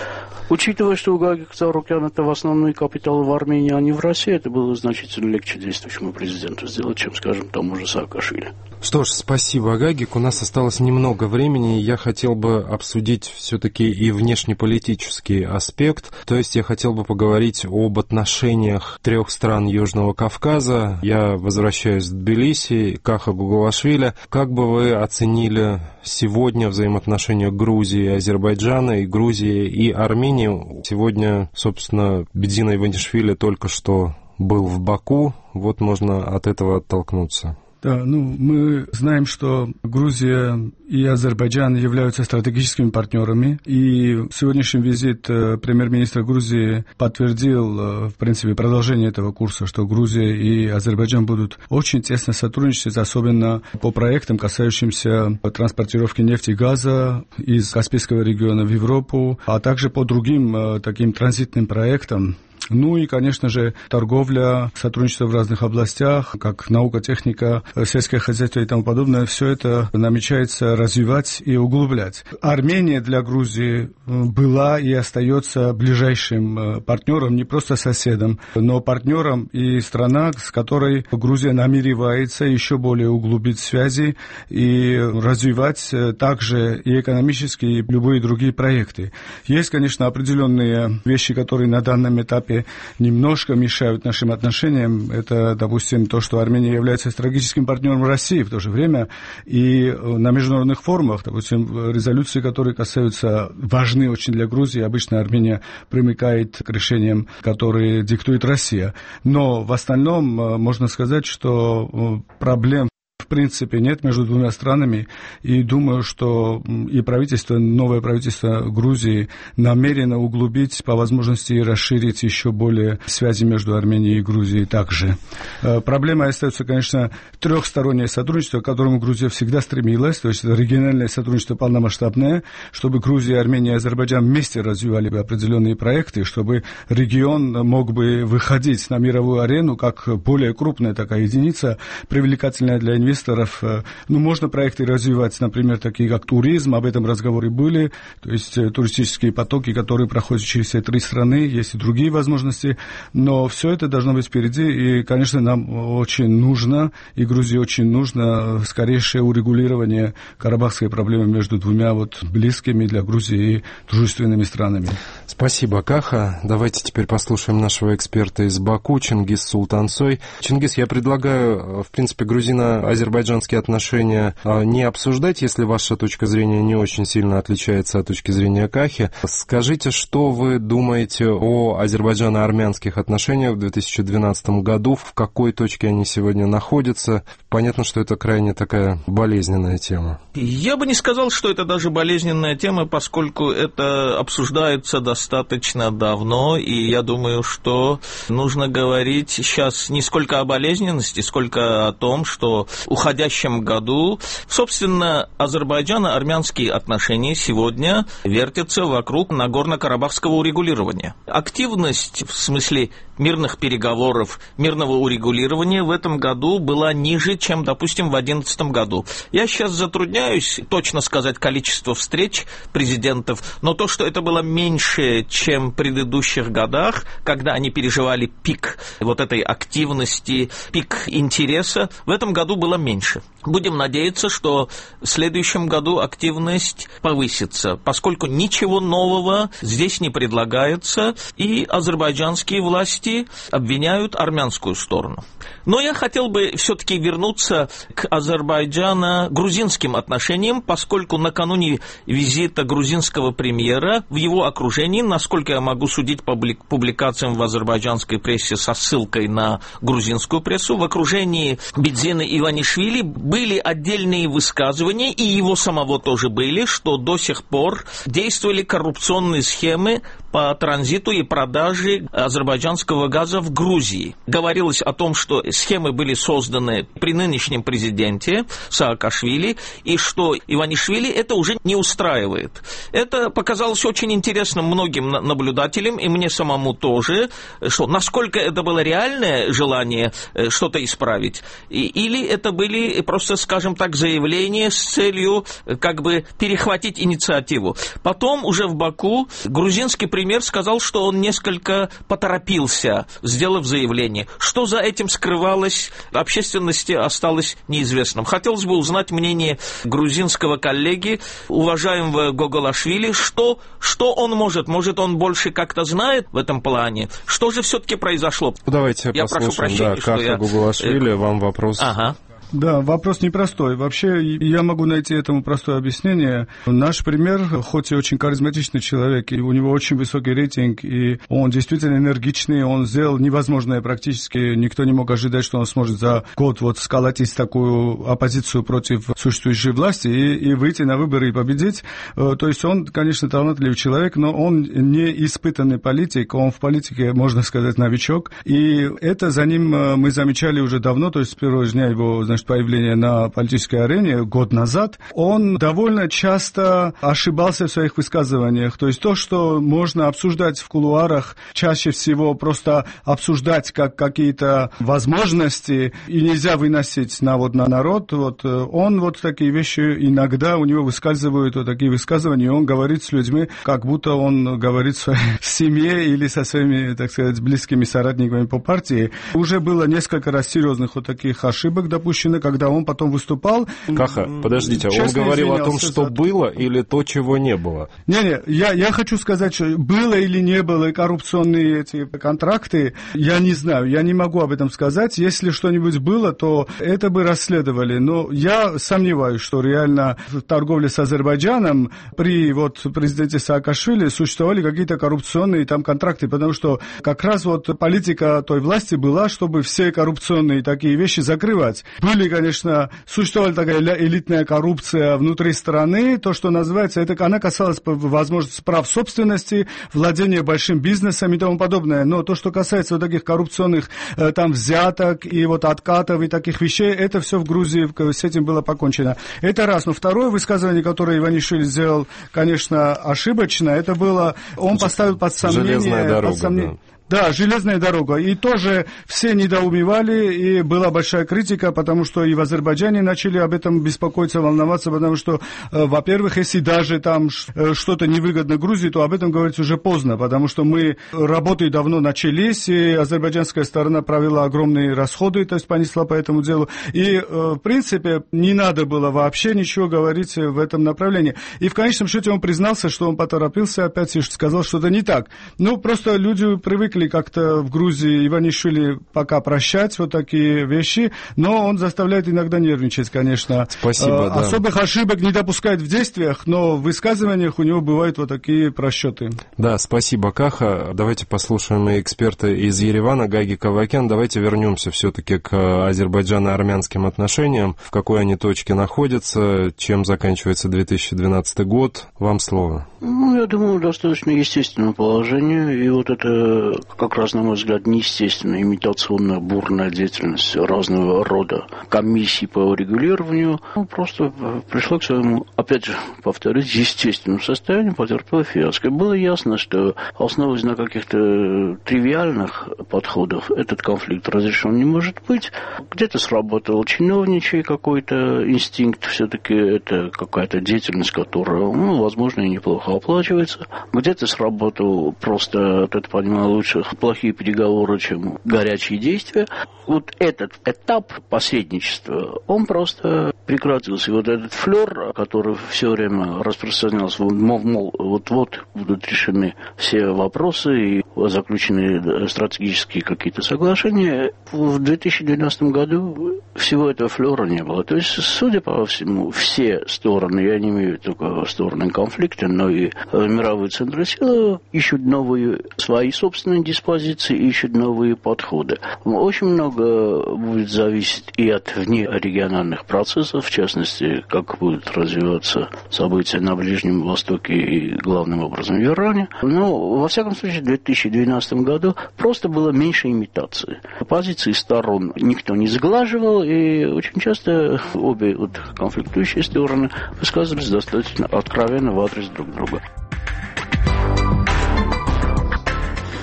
Учитывая, что у Гаги Кацарукяна это в основной капитал в Армении, а не в России, это было значительно легче действующему президенту сделать, чем, скажем, тому же Саакашвили. Что ж, спасибо, Гагик. У нас осталось немного времени, и я хотел бы обсудить все-таки и внешнеполитический аспект. То есть я хотел бы поговорить об отношениях 3 стран Южного Кавказа. Я возвращаюсь в Тбилиси, Каха Гогулашвили. Как бы вы оценили сегодня взаимоотношения Грузии и Азербайджана, и Грузии и Армении? Сегодня, собственно, Бедзин Иванишвили только что был в Баку, вот можно от этого оттолкнуться. Да, мы знаем, что Грузия и Азербайджан являются стратегическими партнерами, и сегодняшний визит премьер-министра Грузии подтвердил, в принципе, продолжение этого курса, что Грузия и Азербайджан будут очень тесно сотрудничать, особенно по проектам, касающимся транспортировки нефти и газа из Каспийского региона в Европу, а также по другим таким транзитным проектам. И, конечно же, торговля, сотрудничество в разных областях, как наука, техника, сельское хозяйство и тому подобное, все это намечается развивать и углублять. Армения для Грузии была и остается ближайшим партнером, не просто соседом, но партнером и страна, с которой Грузия намеревается еще более углубить связи и развивать также и экономические, и любые другие проекты. Есть, конечно, определенные вещи, которые на данном этапе немножко мешают нашим отношениям. Это, допустим, то, что Армения является стратегическим партнером России в то же время. И на международных форумах, допустим, резолюции, которые касаются, важны очень для Грузии, обычно Армения примыкает к решениям, которые диктует Россия. Но в остальном можно сказать, что проблем в принципе нет между двумя странами, и думаю, что и правительство, новое правительство Грузии намерено углубить, по возможности и расширить еще более связи между Арменией и Грузией также. Проблемой остается, конечно, трехстороннее сотрудничество, к которому Грузия всегда стремилась, то есть региональное сотрудничество полномасштабное, чтобы Грузия, Армения и Азербайджан вместе развивали бы определенные проекты, чтобы регион мог бы выходить на мировую арену как более крупная такая единица, привлекательная для инвесторов, инвесторов. Можно проекты развивать, например, такие как туризм, об этом разговоры были, то есть туристические потоки, которые проходят через все 3 страны, есть и другие возможности, но все это должно быть впереди, и, конечно, нам очень нужно, и Грузии очень нужно скорейшее урегулирование карабахской проблемы между двумя близкими для Грузии и дружественными странами. Спасибо, Каха. Давайте теперь послушаем нашего эксперта из Баку, Чингис Султансой. Чингис, я предлагаю, в принципе, грузино-азербайджанские отношения не обсуждать, если ваша точка зрения не очень сильно отличается от точки зрения Кахи. Скажите, что вы думаете о азербайджано-армянских отношениях в 2012 году, в какой точке они сегодня находятся? Понятно, что это крайне такая болезненная тема. Я бы не сказал, что это даже болезненная тема, поскольку это обсуждается достаточно давно, и я думаю, что нужно говорить сейчас не сколько о болезненности, сколько о том, что в уходящем году, собственно, азербайджано-армянские отношения сегодня вертятся вокруг Нагорно-Карабахского урегулирования. Активность в смысле мирных переговоров, мирного урегулирования в этом году была ниже, чем, допустим, в 2011 году. Я сейчас затрудняюсь точно сказать количество встреч президентов, но то, что это было меньше, чем в предыдущих годах, когда они переживали пик этой активности, пик интереса, в этом году было меньше. Будем надеяться, что в следующем году активность повысится, поскольку ничего нового здесь не предлагается, и азербайджанские власти обвиняют армянскую сторону. Но я хотел бы все-таки вернуться к азербайджано-грузинским отношениям, поскольку накануне визита грузинского премьера в его окружении, насколько я могу судить по публикациям в азербайджанской прессе со ссылкой на грузинскую прессу, в окружении Бидзина Иванишвили были отдельные высказывания, и его самого тоже были, что до сих пор действовали коррупционные схемы по транзиту и продаже азербайджанского газа в Грузии. Говорилось о том, что схемы были созданы при нынешнем президенте Саакашвили, и что Иванишвили это уже не устраивает. Это показалось очень интересным многим наблюдателям, и мне самому тоже, что насколько это было реальное желание что-то исправить, или это были просто, скажем так, заявления с целью перехватить инициативу. Потом уже в Баку грузинский премьер сказал, что он несколько поторопился, сделав заявление. Что за этим скрывалось, общественности осталось неизвестным. Хотелось бы узнать мнение грузинского коллеги, уважаемого Гоголашвили, что он может он больше как-то знает в этом плане? Что же все-таки произошло? Давайте я послушаем, прошу прощения, Каха Гоголашвили, вам вопрос. Ага. Да, вопрос непростой. Вообще, я могу найти этому простое объяснение. Наш премьер, хоть и очень харизматичный человек, и у него очень высокий рейтинг, и он действительно энергичный, он сделал невозможное практически. Никто не мог ожидать, что он сможет за год сколотить такую оппозицию против существующей власти и выйти на выборы и победить. То есть он, конечно, талантливый человек, но он не испытанный политик, он в политике, можно сказать, новичок. И это за ним мы замечали уже давно, то есть с первого дня его, появления на политической арене год назад, он довольно часто ошибался в своих высказываниях. То есть то, что можно обсуждать в кулуарах, чаще всего просто обсуждать как какие-то возможности и нельзя выносить на народ. Он такие вещи иногда у него выскальзывают, такие высказывания, и он говорит с людьми, как будто он говорит в своей семье или со своими, так сказать, близкими соратниками по партии. Уже было несколько раз серьезных таких ошибок допущено, когда он потом выступал. Каха, подождите, он говорил о том, что было или то, чего не было? Я хочу сказать, что было или не было коррупционные эти контракты, я не знаю, я не могу об этом сказать. Если что-нибудь было, то это бы расследовали. Но я сомневаюсь, что реально в торговле с Азербайджаном при президенте Саакашвили существовали какие-то коррупционные там контракты, потому что как раз политика той власти была, чтобы все коррупционные такие вещи закрывать. Конечно, существовала такая элитная коррупция внутри страны, то, что называется, она касалась возможности прав собственности, владения большим бизнесом и тому подобное. Но то, что касается таких коррупционных там взяток и откатов и таких вещей, это все в Грузии, с этим было покончено. Это раз. Но второе высказывание, которое Иванишвили сделал, конечно, ошибочно, это было, он поставил под сомнение... Железная дорога, Да, железная дорога. И тоже все недоумевали, и была большая критика, потому что и в Азербайджане начали об этом беспокоиться, волноваться, потому что, во-первых, если даже там что-то невыгодно Грузии, то об этом говорить уже поздно, потому что мы работы давно начались, и азербайджанская сторона провела огромные расходы, то есть понесла по этому делу. И, в принципе, не надо было вообще ничего говорить в этом направлении. И в конечном счете он признался, что он поторопился опять и сказал что-то не так. Ну, просто люди привыкли как-то в Грузии Иванишвили пока прощать вот такие вещи, но он заставляет иногда нервничать, конечно. Спасибо, да. Особых ошибок не допускает в действиях, но в высказываниях у него бывают вот такие просчеты. Да, спасибо, Каха. Давайте послушаем эксперта из Еревана, Гаги Кавакян. Давайте вернемся все-таки к азербайджано-армянским отношениям. В какой они точке находятся, чем заканчивается 2012 год. Вам слово. Ну, я думаю, достаточно естественное положение. И вот это, как раз, на мой взгляд, неестественная имитационная бурная деятельность разного рода комиссий по урегулированию просто пришла к своему, опять же, повторюсь, естественному состоянию, потерпела фиаско. Было ясно, что основываясь на каких-то тривиальных подходах, этот конфликт разрешен не может быть. Где-то сработал чиновничий какой-то инстинкт, все-таки это какая-то деятельность, которая, возможно, и неплохо оплачивается. Где-то сработал просто, это понимаю лучше, плохие переговоры, чем горячие действия. Вот этот этап посредничества, он просто прекратился. И вот этот флер, который все время распространялся, мол, вот-вот будут решены все вопросы и заключены стратегические какие-то соглашения, в 2012 году всего этого флера не было. То есть, судя по всему, все стороны, я не имею только стороны конфликта, но и мировые центры силы ищут новые свои собственные диспозиции, ищут новые подходы. Очень много будет зависеть и от внерегиональных процессов, в частности, как будут развиваться события на Ближнем Востоке и, главным образом, в Иране. Но, во всяком случае, в 2012 году просто было меньше имитации. Позиции сторон никто не сглаживал, и очень часто обе конфликтующие стороны высказывались достаточно откровенно в адрес друг друга.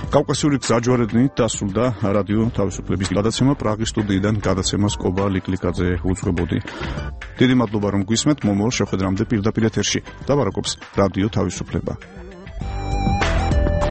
კავკასიური გზაჯვარედინით დასრულდა რადიო თავისუფლების გადაცემა პრაღის სტუდიიდან გადაცემას კობა ლიკლიკაძე უძღვებოდი. დიდი მადლობა რომ გვისმენთ, მომავალ შეხვედრამდე პირდაპირ ეთერში. დაბარაკობს რადიო თავისუფლება.